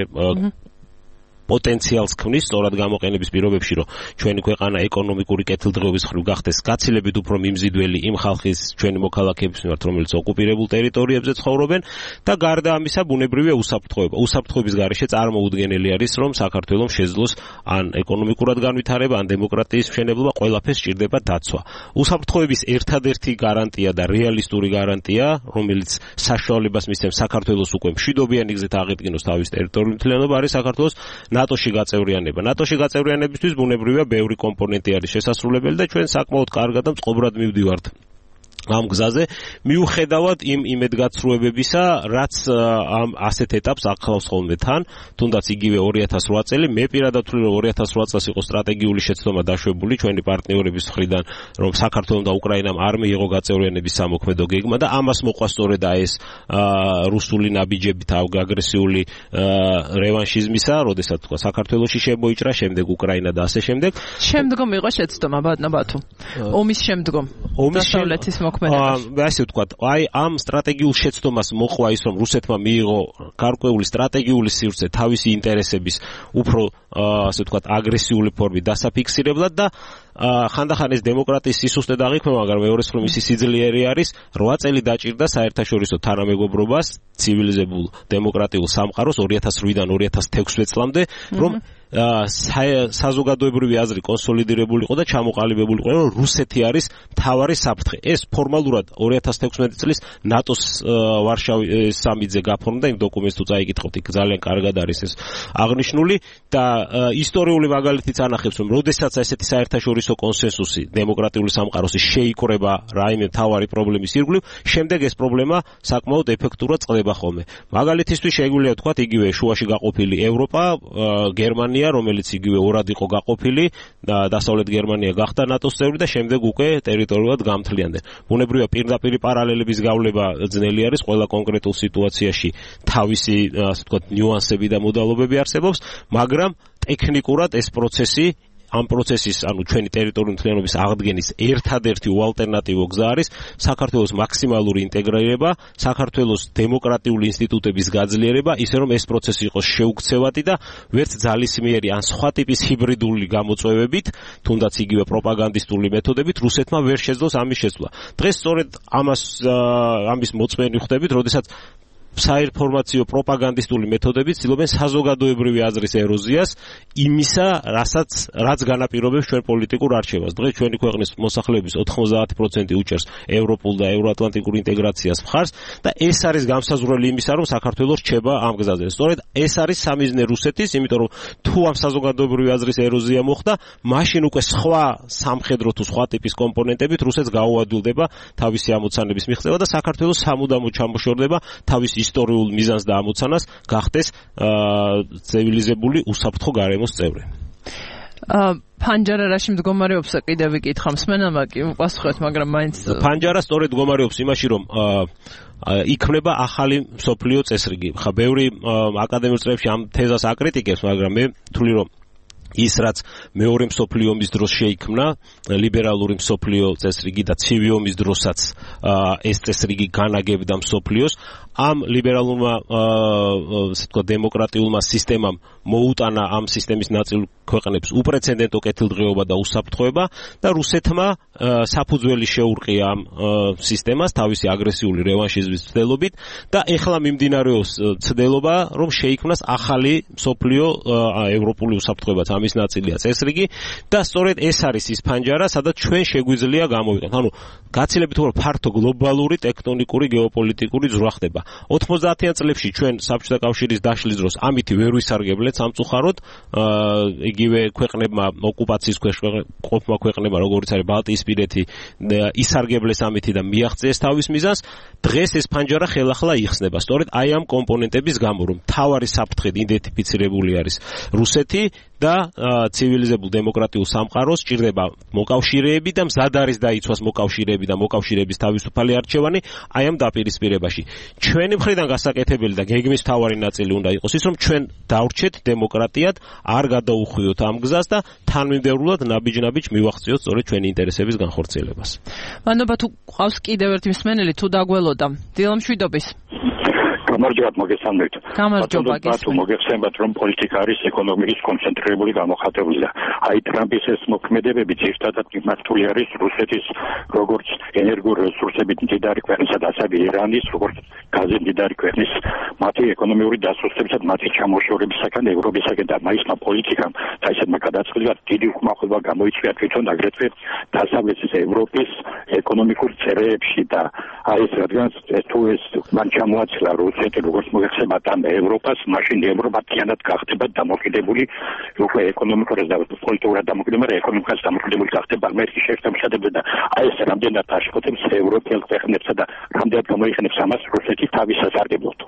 S4: პოტენციალს ქმნის სწორად გამოყენების პირობებში, რომ ჩვენი ქვეყანა ეკონომიკური კეთილდღეობის მხრივ გახდეს გაცილებით უფრო მიმზიდველი იმ ხალხის ჩვენი მოქალაქეების მიმართ, რომელიც ოკუპირებულ ტერიტორიებზე ცხოვრობენ და გარდა ამისა ბუნებრივია უსაფრთხოება. უსაფრთხოების გარეშე წარმოუდგენელი არის, რომ საქართველოს შეძლოს ან ეკონომიკურად განვითარება, ან დემოკრატიის მშენებლობა, ყველაფერს სჭირდება დაცვა. უსაფრთხოების ერთადერთი გარანტია და რეალისტური გარანტია, რომელიც საშუალებას მისცემს საქართველოს უკვე მშვიდობიანი გზით აღედგინოს თავის ტერიტორიული მთლიანობა, არის საქართველოს ნატოში გაწევრიანება. ნატოში გაწევრიანებისთვის ბუნებრივია ბევრი კომპონენტი არის შესასრულებელი და ჩვენ საკმაოდ კარგად და მწყობრად მივდივართ ამ გზაზე, მიუხედავად იმ იმედგაცრუებებისა, რაც ამ ასეთ ეტაპს ახლავს ხოლმე თან, თუნდაც იგივე ორი ათას რვა წელი, მე პირადად ვთვლი, რომ ორი ათას რვა წელს იყო სტრატეგიული შეცდომა დაშვებული ჩვენი პარტნიორების მხრიდან, რომ საქართველოს და უკრაინამ არ მიიღო გაწევრიანების სამოქმედო გეგმა და ამას მოყვა სწორედ ეს რუსული ნაბიჯები აგრესიული რევანშიზმისა, როდესაც თქვა საქართველოში შემოიჭრა, შემდეგ უკრაინა და ასე შემდეგ.
S3: შემდგომ იყო შეცდომა ბათუ. ომის შემდგომ. დასავლეთის
S4: ასე ვთქვათ, აი ამ სტრატეგიულ შეცდომას მოყვა ის, რომ რუსეთმა მიიღო გარკვეული სტრატეგიული სივრცე თავისი ინტერესების უფრო ასე ვთქვათ აგრესიული ფორმით დასაფიქსირებლად და ხანდახან ეს დემოკრატიის სისუსტე დაღიქმება, მაგრამ მეორეს მხრივ მისი სიძლიერე არის რვა წელი დაჭირდა საერთაშორისო თანამეგობრობას ცივილიზებულ დემოკრატიულ სამყაროს ორი ათას რვიდან ორი ათას თექვსმეტ წლამდე, რომ საზოგადოებრივი აზრი კონსოლიდირებულიყო და ჩამოყალიბებულიყო, რომ რუსეთი არის მთავარი საფრთხე. ეს ფორმალურად ორი ათას თექვსმეტ წლის ნატოს ვარშავის სამიტზე გაფორმდა, იმ დოკუმენტს თუ წაიკითხოთ, იქ ძალიან კარგად არის ეს აღნიშნული და ისტორიული მაგალითიც ანახებს, რომ როდესაც ესეთი საერთაშორისო საუკეთესო კონსენსუსი დემოკრატიული სამყაროს შეიკრება რაიმე თავარი პრობლემის ირგვლივ, შემდეგ ეს პრობლემა საკმაოდ ეფექტურად წყდება ხოლმე. მაგალითისთვის შეგვიძლია ვთქვათ იგივე შუაში გაყოფილი ევროპა, გერმანია, რომელიც იგივე ორად იყო გაყოფილი და დასავლეთ გერმანია გახდა ნატოს წევრი და შემდეგ უკვე ტერიტორიულად გამთლიანდნენ. ბუნებრივია პირდაპირი პარალელების გავლება ძნელი არის, ყველა კონკრეტულ სიტუაციაში თავისი ასე ვთქვათ ნიუანსები და მოდალობები არსებობს, მაგრამ ტექნიკურად ეს პროცესი ამ პროცესის, ანუ ჩვენი ტერიტორიული მთლიანობის აღდგენის ერთადერთი უალტერნატივო გზა არის საქართველოს მაქსიმალური ინტეგრირება, საქართველოს დემოკრატიული ინსტიტუტების გაძლიერება, ისე რომ ეს პროცესი იყოს შეუქცევადი და ვერც ძალისმიერი ან სხვა ტიპის ჰიბრიდული გამოწვევებით, თუნდაც იგივე პროპაგანდისტული მეთოდებით რუსეთმა ვერ შეძლოს ამის შეცვლა. დღეს სწორედ ამას ამის მოწმენი ხდებით, როდესაც საინფორმაციო პროპაგანდისტული მეთოდები ცდილობენ საზოგადოებრივი აზრის ეროზიას იმისა, რასაც რაც განაპირობებს ჩვენ პოლიტიკურ არჩევას. დღეს ჩვენი ქვეყნის მოსახლეობის ოთხმოცდაათი პროცენტი უჭერს ევროპულ და ევროატლანტიკურ ინტეგრაციას მხარს და ეს არის გამსაზღვრელი იმისა, რომ საქართველოს რჩება ამ გზაზე. სწორედ ეს არის სამიზნე რუსეთის, იმიტომ რომ თუ ამ საზოგადოებრივი აზრის ეროზია მოხდა, მაშინ უკვე სხვა სამხედრო თუ სხვა ტიპის კომპონენტებით რუსეთს გაუადვილდება თავისი ამოცანების მიღწევა და საქართველოს სამუდამოდ ჩამოშორდება თავის ისტორიულ მიზანს და ამოცანას გახდეს ცივილიზებული უსაფრთხო გარემოს წევრი.
S3: ფანჯარა რაში მდგომარეობს კიდევ ვიკითხა მსმენელმა კი უპასუხეთ, მაგრამ მაინც
S4: ფანჯარა სწორედ მდგომარეობს იმაში, რომ იქმნება ახალი მსოფლიო წესრიგი. ხა ბევრი აკადემიურ წრეებში ამ თეზას აკრიტიკებს, მაგრამ მე ვთვლი, რომ ის რაც მეორე მსოფლიო ომის დროს შეიქმნა, ლიბერალური მსოფლიო წესრიგი და ცივი ომის დროსაც ეს წესრიგი განაგებდა მსოფლიოს, ამ ლიბერალურმა ასე ვთქვათ დემოკრატიულმა სისტემამ მოუტანა ამ სისტემის ნაწილ ქვეყნებს უპრეცედენტო კეთილდღეობა და უსაფრთხოება და რუსეთმა საფუძველი შეურყია ამ სისტემას თავისი აგრესიული რევანშიზმის ცდილობით და ეხლა მიმდინარეობს ცდილობა, რომ შეიქმნას ახალი მსოფლიო ევროპული უსაფრთხოებაც ამის ნაწილია წესრიგი და სწორედ ეს არის ის ფანჯარა, სადაც ჩვენ შეგვიძლია გამოვიყენოთ. ანუ გაცილებით უფრო ფართო გლობალური ტექტონიკური გეოპოლიტიკური ძვრა ხდება. ოთხმოცდაათიან წლებში ჩვენ საბჭოთა კავშირის დაშლის დროს ამითი ვერ ვისარგებლეთ სამწუხაროდ, იგივე ქვეყნებმა ოკუპაციის ქვეშ ყოფმა ქვეყნებმა, როგორც არის ბალტიისპირეთი, ისარგებლეს ამითი და მიაღწიეს თავის მიზანს. დღეს ეს ფანჯარა ხელახლა იხსნება. სწორედ აი ამ კომპონენტების გამო, რომ თავარი საფრთხედ იდენტიფიცირებული არის რუსეთი და ცივილიზებულ დემოკრატიულ სამყაროს ჭირდება მოკავშირეები და მზად არის დაიცვას მოკავშირეები და მოკავშირეების თავისუფალი არჩევანი აი ამ დაპირისპირებაში. ჩვენი მხრიდან გასაკეთებელი და გეგმის მთავარი ნაწილი უნდა იყოს ის, რომ ჩვენ დავრჩეთ დემოკრატიად, არ გადაუხვიოთ ამ გზას და თანმიმდევრულად ნაბიჯ-ნაბიჯ მივახციოთ სწორედ ჩვენი ინტერესების განხორციელებას.
S3: მადლობა, თუ ყავს კიდევ ერთი მსმენელი, თუ დაგველოდა. დილამშვიდობის.
S13: გამარჯობა, მოგესალმებით.
S3: გამარჯობა,
S13: გესმით. მოგეხსენებათ, რომ პოლიტიკა არის ეკონომიკის კონცენტრირებული გამოხატებული და აი ტრამპის ეს მოქმედებები ძირითადად მიმართული არის რუსეთის როგორც ენერგო რესურსებით მდიდარი ქვეყნისა და ასევე ირანის როგორც გაზით მდიდარი ქვეყნის მათი ეკონომიური დასუსტებისა და მათი ჩამოშორებისაგან ევროპისაგან და მაისმა პოლიტიკამ და ისეთმა გადაწყვეტილებამ დიდი უკმაყოფილება გამოიწვია თვითონ აგრეთვე დასავლეთის ევროპის ეკონომიკურ წერეებში და აი ეს რადგან თუ ეს მან ჩამოაცილა რუსეთი როგორც მოგეხსენებათ ამ ევროპას, მაშინ ევროპა მთლიანად გახდება დამოკიდებული უკვე ეკონომიკურად და პოლიტიკურად დამოკიდებული, ეკონომიკას დამოკიდებული გახდება ამერიკის შეერთებულ შტატებზე და აი ეს რამდენად აშკოთებს ევროპელ ქვეყნებსა და რამდენად გამოიყენებს ამას რუსეთი თავის სასარგებლოდ.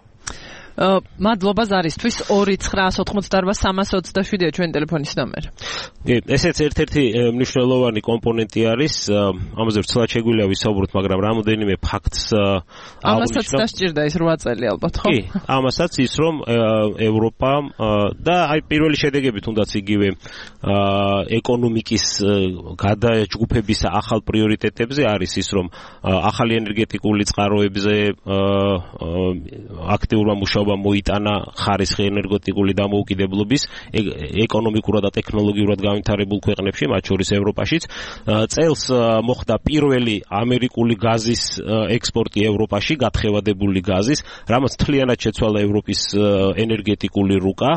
S3: მადლობა ზარისთვის. ორი ცხრაას ოთხმოცდაარბა სამას ოცდაშვიდია ჩვენი ტელეფონის ნომერი.
S4: ესეც ერთ-ერთი მნიშვნელოვანი კომპონენტი არის, ამაზე ვცლად შეგვიძლია ვისაუბროთ, მაგრამ რამოდენიმე ფაქტს
S3: ამასაც დასჭირდა ის რვა წელი ალბათ, ხო?
S4: კი, ამასაც ის, რომ ევროპა და აი პირველი შედეგები თუნდაც იგივე ეკონომიკის გადაჯგუფების ახალ პრიორიტეტებზე არის ის, რომ ახალი ენერგეტიკული წყაროებზე აქტიურმა მუშაობამ მოიტანა ხარისხი ენერგეტიკული დამოუკიდებლობის ეკონომიკურად და ტექნოლოგიურად განვითარებულ ქვეყნებში, მათ შორის ევროპაშიც. წელს მოხდა პირველი ამერიკული გაზის ექსპორტი ევროპაში, გათხევადებული გაზის, რამაც მთლიანად შეცვალა ევროპის ენერგეტიკული რუკა.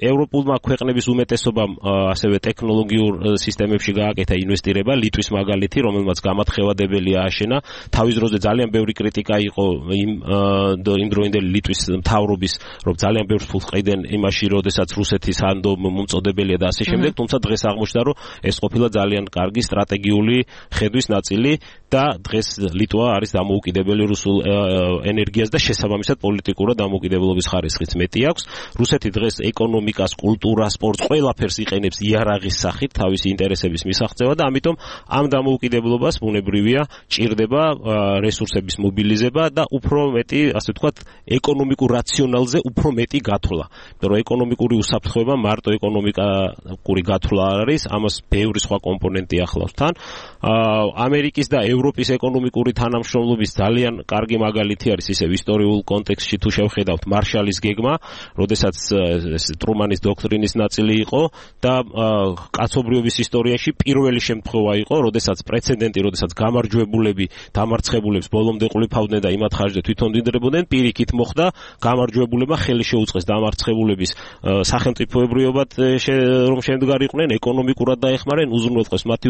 S4: ევროპულმა ქვეყნების უმეტესობამ ასევე ტექნოლოგიურ სისტემებში გააკეთა ინვესტირება, ლიტვის მაგალითი, რომელმაც გამათხევადებელი ააშენა. თავის დროზე ძალიან ბევრი კრიტიკა იყო იმ იმ დროინდელ დღევანდელი ლიტვის მთავრობის რომ ძალიან ბევრ ფულს ყიდენ იმაში, როდესაც რუსეთის ანდო მომწოდებელია და ასე შემდეგ, თუმცა დღეს აღმოჩნდა, რომ ეს ყოფილა ძალიან კარგი სტრატეგიული ხედვის ნაწილი და დღეს ლიტვა არის დამოუკიდებელი რუსულ ენერგიას და შესაბამისად პოლიტიკურად დამოუკიდებლობის ხარისხიც მეტი აქვს. რუსეთი დღეს ეკონომიკას, კულტურას, სპორტს ყველაფერს იყენებს იარაღის სახით თავისი ინტერესების მისაღწევად და ამიტომ ამ დამოუკიდებლობას ბუნებრივია ჭირდება რესურსების მობილიზება და უფრო მეტი, ასე ვთქვათ, ეკონომიკურ რაციონალზე უფრო მეტი გათვლა. იმიტომ რომ ეკონომიკური უსაფრთხოება მარტო ეკონომიკური გათვლა არ არის, ამას ბევრი სხვა კომპონენტი ახლავს თან. ამერიკის და ევროპის ეკონომიკური თანამშრომლობის ძალიან კარგი მაგალითი არის ისევ ისტორიულ კონტექსტში თუ შევხედავთ მარშალის გეგმა, როდესაც ტრუმანის დოქტრინის ნაწილი იყო და კაცობრიობის ისტორიაში პირველი შემთხვევა იყო, როდესაც პრეცედენტი, როდესაც გამარჯვებულები დამარცხებულებს ბოლომდე ყლიფავდნენ და იმათ ხარჯზე თვითონ დიდრებოდნენ, პირიქით მოხდა გამარჯვებულებმა ხელი შეუწყეს დამარცხებულების სახელმწიფოებრიობად რომ შემდგარიყვნენ, ეკონომიკურად დაეხმარნენ, უზრუნველყვეს მათი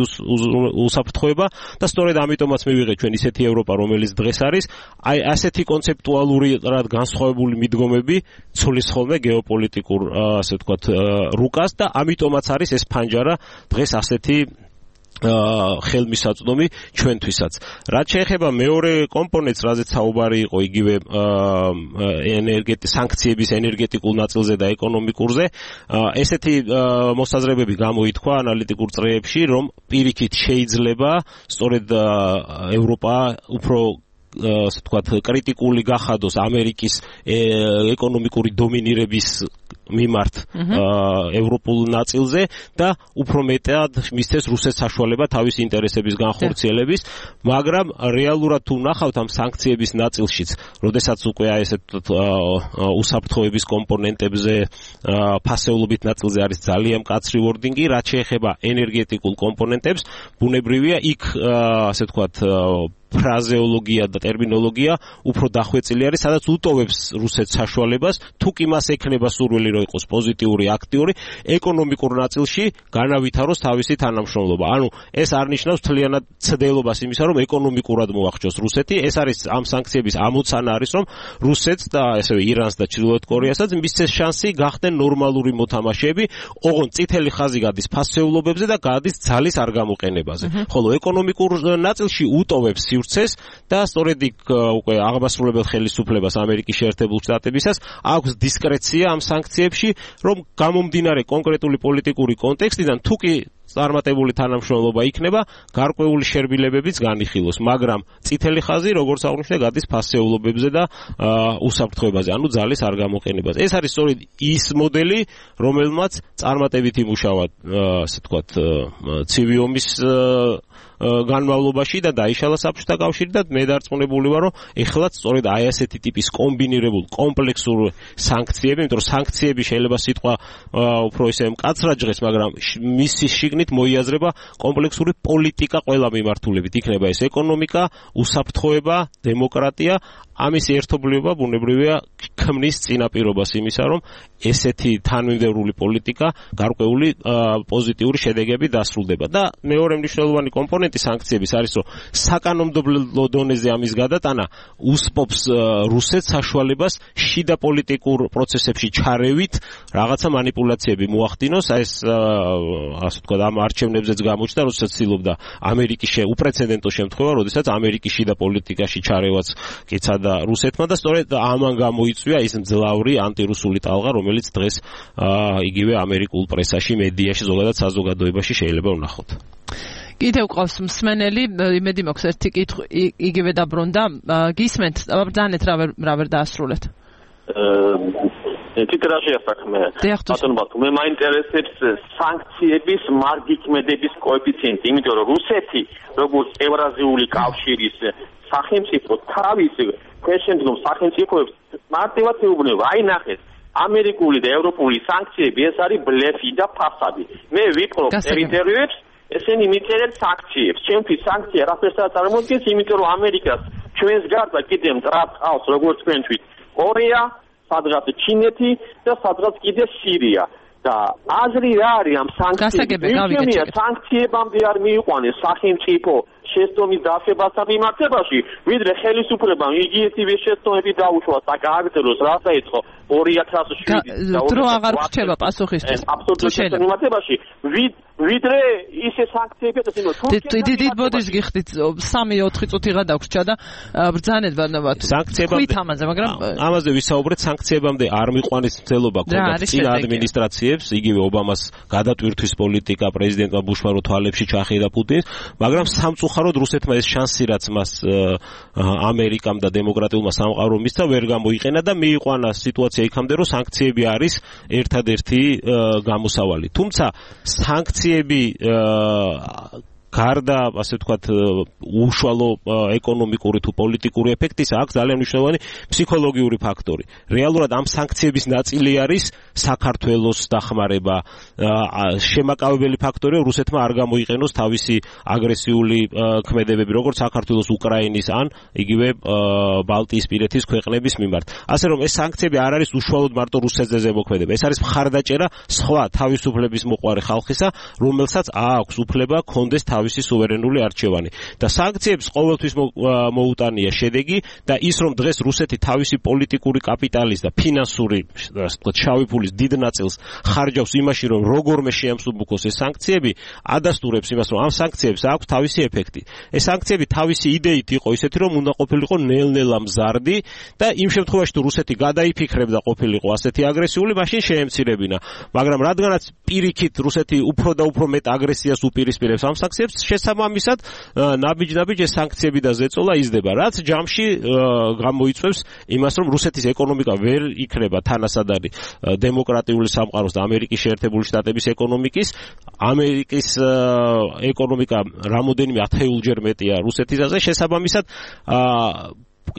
S4: უსაფრთხოება და სწორედ ამიტომაც მივიღეთ ჩვენ ისეთი ევროპა, რომელიც დღეს არის, აი ასეთი კონცეპტუალურად განსხვავებული მიდგომები ცulis ხოლმე გეოპოლიტიკურ, ასე ვთქვათ, რუკას და ამიტომაც არის ეს ფანჯარა დღეს ასეთი ხელმისაწვდომი ჩვენთვისაც. რაც შეეხება მეორე კომპონენტს, რაზეც საუბარი იყო, იგივე ენერგეტიკ სანქციების ენერგეტიკულ ნაწილზე და ეკონომიკურზე, ესეთი მოსაზრებები გამოითქვა ანალიტიკურ წრეებში, რომ პირიქით შეიძლება სწორედ ევროპა უფრო ასე ვთქვათ, კრიტიკული გახადოს ამერიკის ეკონომიკური დომინირების მიმართ ევროპულ ნაწილზე და უფრო მეტად მისცეს რუსეთს საშუალება თავის ინტერესების განხორციელების, მაგრამ რეალურად თუ ნახავთ ამ სანქციების ნაწილშიც, როდესაც უკვე აი ესეთ უსაფრთხოების კომპონენტებზე, ფასეულობით ნაწილზე არის ძალიან მკაცრი ვორდინგი, რაც შეეხება ენერგეტიკულ კომპონენტებს, ბუნებრივია იქ ასე ვთქვათ ფრაზეოლოგია და ტერმინოლოგია უფრო დახვეწილი არის, სადაც უტოვებს რუსეთს საშუალებას, თუ კი მას ექნება სურვილი რომ იყოს პოზიტიური, აქტიური, ეკონომიკურ ნაწილში განავითაროს თავისი თანამშრომლობა. ანუ ეს არ ნიშნავს მთლიანად ცდელობას იმისა, რომ ეკონომიკურად მოახჭოს რუსეთი. ეს არის ამ სანქციების ამოცანა არის, რომ რუსეთს და ასევე ირანს და ჩრდილოეთ კორეასაც მისცეს შანსი გახდნენ ნორმალური მოთამაშეები, ოღონდ წითელი ხაზი გადის ფასეულობებზე და გადის ძალის არ გამოყენებაზე. ხოლო ეკონომიკურ ნაწილში უტოვებს სივრცეს და სწორედ იქ უკვე აღმასრულებელ ხელისუფლებას ამერიკის შეერთებულ შტატებისას აქვს დისკრეცია ამ სანქციებში, რომ გამომდინარე კონკრეტული პოლიტიკური კონტექსტიდან თუ კი წარმატებული თანამშრომლობა იქნება, გარკვეული შერბილებებიც განიხილოს, მაგრამ წითელი ხაზი, როგორც აღნიშნე, გადის ფასეულობებზე და უსაფრთხოებაზე, ანუ ძალის არ გამოყენებაზე. ეს არის სწორედ ის მოდელი, რომელმაც წარმატებით იმუშავა, ასე ვთქვათ, ცივი ომის განმავლობაში და დაიშალა საბჭოთა კავშირი და მე დარწმუნებული ვარ, რომ ეხლაც სწორედ აი ასეთი ტიპის კომბინირებულ კომპლექსურ სანქციები, იმიტომ რომ სანქციები შეიძლება სიტყვა უფრო ისე მკაცრად ჟღერს, მაგრამ მისი შიგნით მოიაზრება კომპლექსური პოლიტიკა ყველა მიმართულებით. იქნება ეს ეკონომიკა, უსაფრთხოება, დემოკრატია, ამის ერთობლიობა ბუნებრივია ქმნის წინაპირობას იმისა, რომ ესეთი თანმიმდევრული პოლიტიკა გარკვეული პოზიტიური შედეგები დასრულდება. და მეორე მნიშვნელოვანი კომპონენტი სანქციების არის, რომ საკანონმდებლო დონეზე ამის გადატანა უსპობს რუსეთს საშუალებას შიდა პოლიტიკურ პროცესებში ჩარევით რაღაცა манипуляციები მოახდინოს. ეს ასე ვთქვათ, ამ არჩევნებზეც გამოჩნდა, როდესაც ცდილობდა ამერიკის უპრეცედენტო შემთხვევა, როდესაც ამერიკის შიდა პოლიტიკაში ჩარევაც კეცადა რუსეთმა და სწორედ ამან გამოიწვია ის მძლავრი ანტირუსული ტალღა, რომელიც დღეს იგივე ამერიკულ პრესაში, მედიაში, ზოგადად საზოგადოებაში შეიძლება ვნახოთ.
S3: კიდევ ყავს მსმენელი, იმედი მაქვს ერთი კითხვი იგივე დაბრუნდა. გისმენთ, ბრძანეთ რა ვერ რა ვერ დაასრულეთ.
S10: ტიტრაჟია საქმე. ბატონო, მე მაინტერესებს სანქციების მარგიქმედების კოეფიციენტი, იმიტომ რომ რუსეთი, როგორც ევრაზიული კავშირის სახელმწიფო, თავის ქვეშენდგომ სახელმწიფოებს მარტივად ეუბნება, აი ნახეთ, ამერიკული და ევროპული სანქციები ეს არის ბლეფი და ფასადი. მე ვიპყრობ ტერიტორიებს, ესენი მიწერენ სანქციებს. ჩემთვის სანქცია რაფერს წარმოადგენს, იმიტომ რომ ამერიკას ჩვენს გარდა კიდე მტრად ყავს, როგორც თქვენთვის, კორეა, სადღაც ჩინეთი და სადღაც კიდე სირია. და აზრი რა არის ამ სანქციების? სანქციებამდე არ მიიყვანეს სახელმწიფო შეცდომის დაშვებასთან მიმართებაში, ვიდრე ხელისუფლებამ იგივე შეცდომები დაუშვა საქართველოს რაც დაიწყო ორი ათას შვიდი და
S3: დრო აღარ რჩება პასუხისთვის.
S10: აბსოლუტურად შემოწმებაში ვიდრე ისე სანქციები და იმო
S3: თურქეთს დიდ ბოდის გიხდით სამი ოთხი წუთი რა დაგვრჩა და ბრძანება ნებათ
S4: სანქციებამდე
S3: ამაზე მაგრამ
S4: ამაზე ვისაუბრეთ სანქციებამდე არ მიყვანის მცდელობა ქონდა წინა ადმინისტრაციებს იგივე ობამას გადატვირთვის პოლიტიკა პრეზიდენტმა ბუშმა რო თვალებში ჩახიდა პუტინს მაგრამ სამწუხაროდ რუსეთმა ეს შანსი რაც მას ამერიკამ და დემოკრატიულმა სამყარომ მისცა ვერ გამოიყენა და მიიყვანა სიტუაცია იქამდე რომ სანქციები არის ერთადერთი გამოსავალი თუმცა სანქციები გარდა ასე ვთქვათ უშუალო ეკონომიკური თუ პოლიტიკური ეფექტისა აქვს ძალიან მნიშვნელოვანი ფსიქოლოგიური ფაქტორი. რეალურად ამ სანქციების ნაწილი არის საქართველოს დახმარება. შემაკავებელი ფაქტორია რუსეთმა არ გამოიყენოს თავისი აგრესიული ქმედებები როგორც საქართველოს უკრაინის ან იგივე ბალტიისპირეთის ქვეყნების მიმართ. ასე რომ ეს სანქციები არ არის უშუალოდ მარტო რუსეთზე ზემოქმედება. ეს არის მხარდაჭერა სხვა თავისუფლების მოყვარე ხალხისა, რომელსაც აქვს უფლება კონდეს თავისი სუვერენული არჩევანი და სანქციებს ყოველთვის მოუტანია შედეგი და ის რომ დღეს რუსეთი თავისი პოლიტიკური კაპიტალის და ფინანსური შავი ფულის დიდ ნაწილს ხარჯავს იმაში რომ როგორმე შეამსუბუქოს ეს სანქციები ადასტურებს იმას რომ ამ სანქციებს აქვს თავისი ეფექტი ეს სანქციები თავისი იდეით იყო ისეთი რომ უნდა ყოფილიყო ნელ-ნელა მზარდი და იმ შემთხვევაში თუ რუსეთი გადაიფიქრებდა ყოფილიყო ასეთი აგრესიული მაშინ შეემცირებინა მაგრამ რადგანაც პირიქით რუსეთი უფრო და უფრო მეტ აგრესიას უპირისპირებს ამ სანქციებს შესაბამისად ნაბიჯ-ნაბიჯ ეს სანქციები და ზეწოლა იზრდება რაც ჯამში გამოიწვევს იმას რომ რუსეთის ეკონომიკა ვერ იქნება თანასადარი დემოკრატიული სამყაროს და ამერიკის შეერთებული შტატების ეკონომიკის ამერიკის ეკონომიკა რამოდენიმე ათეულჯერ მეტია რუსეთისაზე შესაბამისად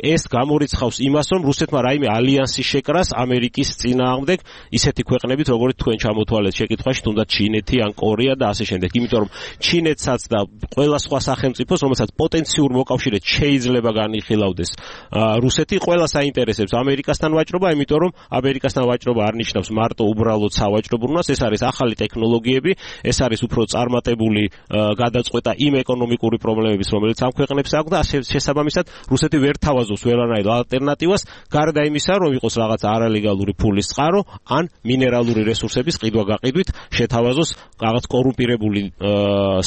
S4: ეს გამორიცხავს იმას, რომ რუსეთმა რაიმე ალიანსი შეკრას ამერიკის წინააღმდეგ ისეთი ქვეყნებით, როგორც თქვენ ჩამოთვალეთ შეკითხვაში, თუნდაც ჩინეთი ან კორეა და ასე შემდეგ. იმიტომ რომ ჩინეთსაც და ყველა სხვა სახელმწიფოს, რომელსაც პოტენციურ მოკავშირედ შეიძლება განიხილავდეს რუსეთი, ყველა საინტერესებს ამერიკასთან ვაჭრობა, იმიტომ რომ ამერიკასთან ვაჭრობა არ ნიშნავს მარტო უბრალოდ სავაჭრობურნას, ეს არის ახალი ტექნოლოგიები, ეს არის უფრო წარმატებული გადაწყვეტა იმ ეკონომიკური პრობლემების, რომელიც ამ ქვეყნებს აქვს და შესაბამისად რუსეთი ვერ თავაზობს ვერანაირ ალტერნატივას, გარდა იმისა, რომ იყოს რაღაც არალეგალური ფულის წყარო, ან მინერალური რესურსების ყიდვა-გაყიდვით შეთავაზოს რაღაც კორუმპირებული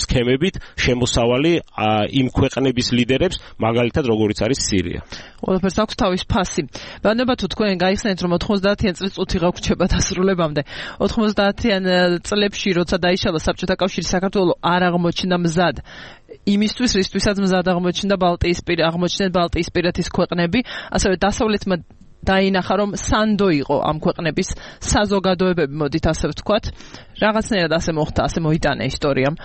S4: სქემებით შემოსავალი იმ ქვეყნების ლიდერებს, მაგალითად როგორიც არის სირია.
S3: ყველაფერს აქვს თავის ფასი. ბანდება თუ თქვენ გაიხსენეთ, რომ ოთხმოცდაათიან წლიწუთი გაგვრჩება დასრულებამდე. ოთხმოცდაათიან წლებში, როცა დაიშალა საბჭოთა კავშირი, საქართველო არ აღმოჩნდა მზად. იმისთვის, რისთვისაც მზად აღმოჩნდა ბალტიისპირა, აღმოჩნდნენ ბალტიისპირეთის ქვეყნები, ასევე დასავლეთმა დაინახა, რომ სანდო იყო ამ ქვეყნების საზოგადოებები, მოდით ასე ვთქვათ. რაღაცნაირად ასე მოხდა, ასე მოიტანა ისტორიამ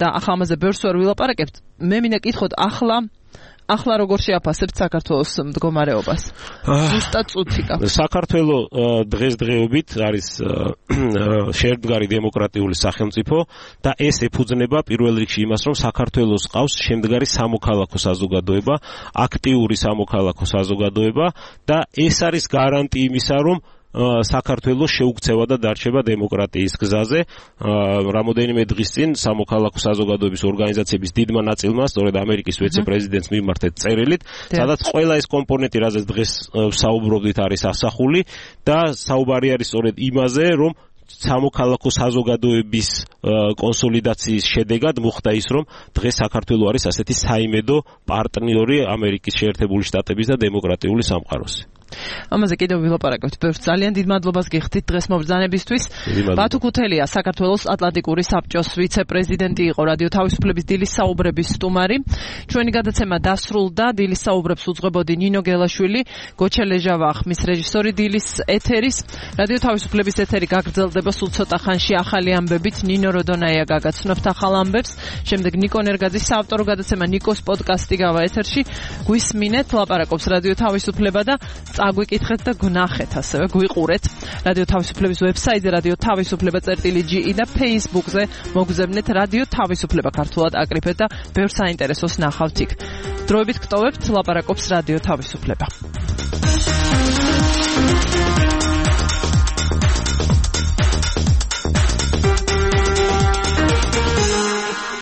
S3: და ახლა ამაზე ბევრს ვერ ვილაპარაკებთ. მე მინდა კითხოთ, ახლა ახლა როგორ შეაფასებთ საქართველოს მდგომარეობას? ზუსტად წუთი გაქვს.
S4: საქართველო დღესდღეობით არის შეერთგარი დემოკრატიული სახელმწიფო და ეს ეფუძნება პირველ რიგში იმას, რომ საქართველოს ყავს შემდგარი სამოქალაქო საზოგადოება, აქტიური სამოქალაქო საზოგადოება და ეს არის გარანტი იმისა, რომ საქართველოს შეუქცევა და დარჩება დემოკრატიის გზაზე. რამოდენიმე დღის წინ სამოქალაქო საზოგადოების ორგანიზაციების დიდმა ნაწილმა, სწორედ ამერიკის ვიცე-პრეზიდენტს მიმართეთ წერილით, სადაც ყველა ეს კომპონენტი, რაზეც დღეს საუბრობდით, არის ასახული და საუბარი არის სწორედ იმაზე, რომ სამოქალაქო საზოგადოების კონსოლიდაციის შედეგად მოხდა ის, რომ დღეს საქართველო არის ასეთი საიმედო პარტნიორი ამერიკის შეერთებული შტატების და დემოკრატიული სამყაროსი.
S3: ამაზე კიდევ ვილაპარაკებთ. ბევრს ძალიან დიდ მადლობას გიხდით დღეს მობრძანებისთვის. ბათუ ქუთელია საქართველოს ატლანტიკური საბჭოს ვიცე-პრეზიდენტი იყო, რადიო თავისუფლების დილის საუბრების სტუმარი. ჩვენი გადაცემა დასრულდა. დილის საუბრებს უძღვებოდი ნინო გელაშვილი, გოჩა ლეჟავა ხმის რეჟისორი დილის ეთერის. რადიო თავისუფლების ეთერი გაგრძელდება სულ ცოტა ხანში ახალი ამბებით. ნინო როდონაია გაგაცნობთ ახალ ამბებს. შემდეგ ნიკო ნერგაძის საავტორო გადაცემა ნიკოს პოდკასტი გავა ეთერში. გვისმინეთ, ლაპარაკობს რადიო თავისუფლება და წაგვიკითხეთ და გნახეთ, ასევე გვიყურეთ. რადიო თავისუფლების ვებსაიტზე რადიო თავისუფლება წერტილი ჯი ი და Facebook-ზე მოგზავნეთ რადიო თავისუფლება ქართულად აკრიფეთ და ბევრ საინტერესოს ნახავთ იქ. დროებით გტოვებთ, ლაპარაკობს რადიო თავისუფლება.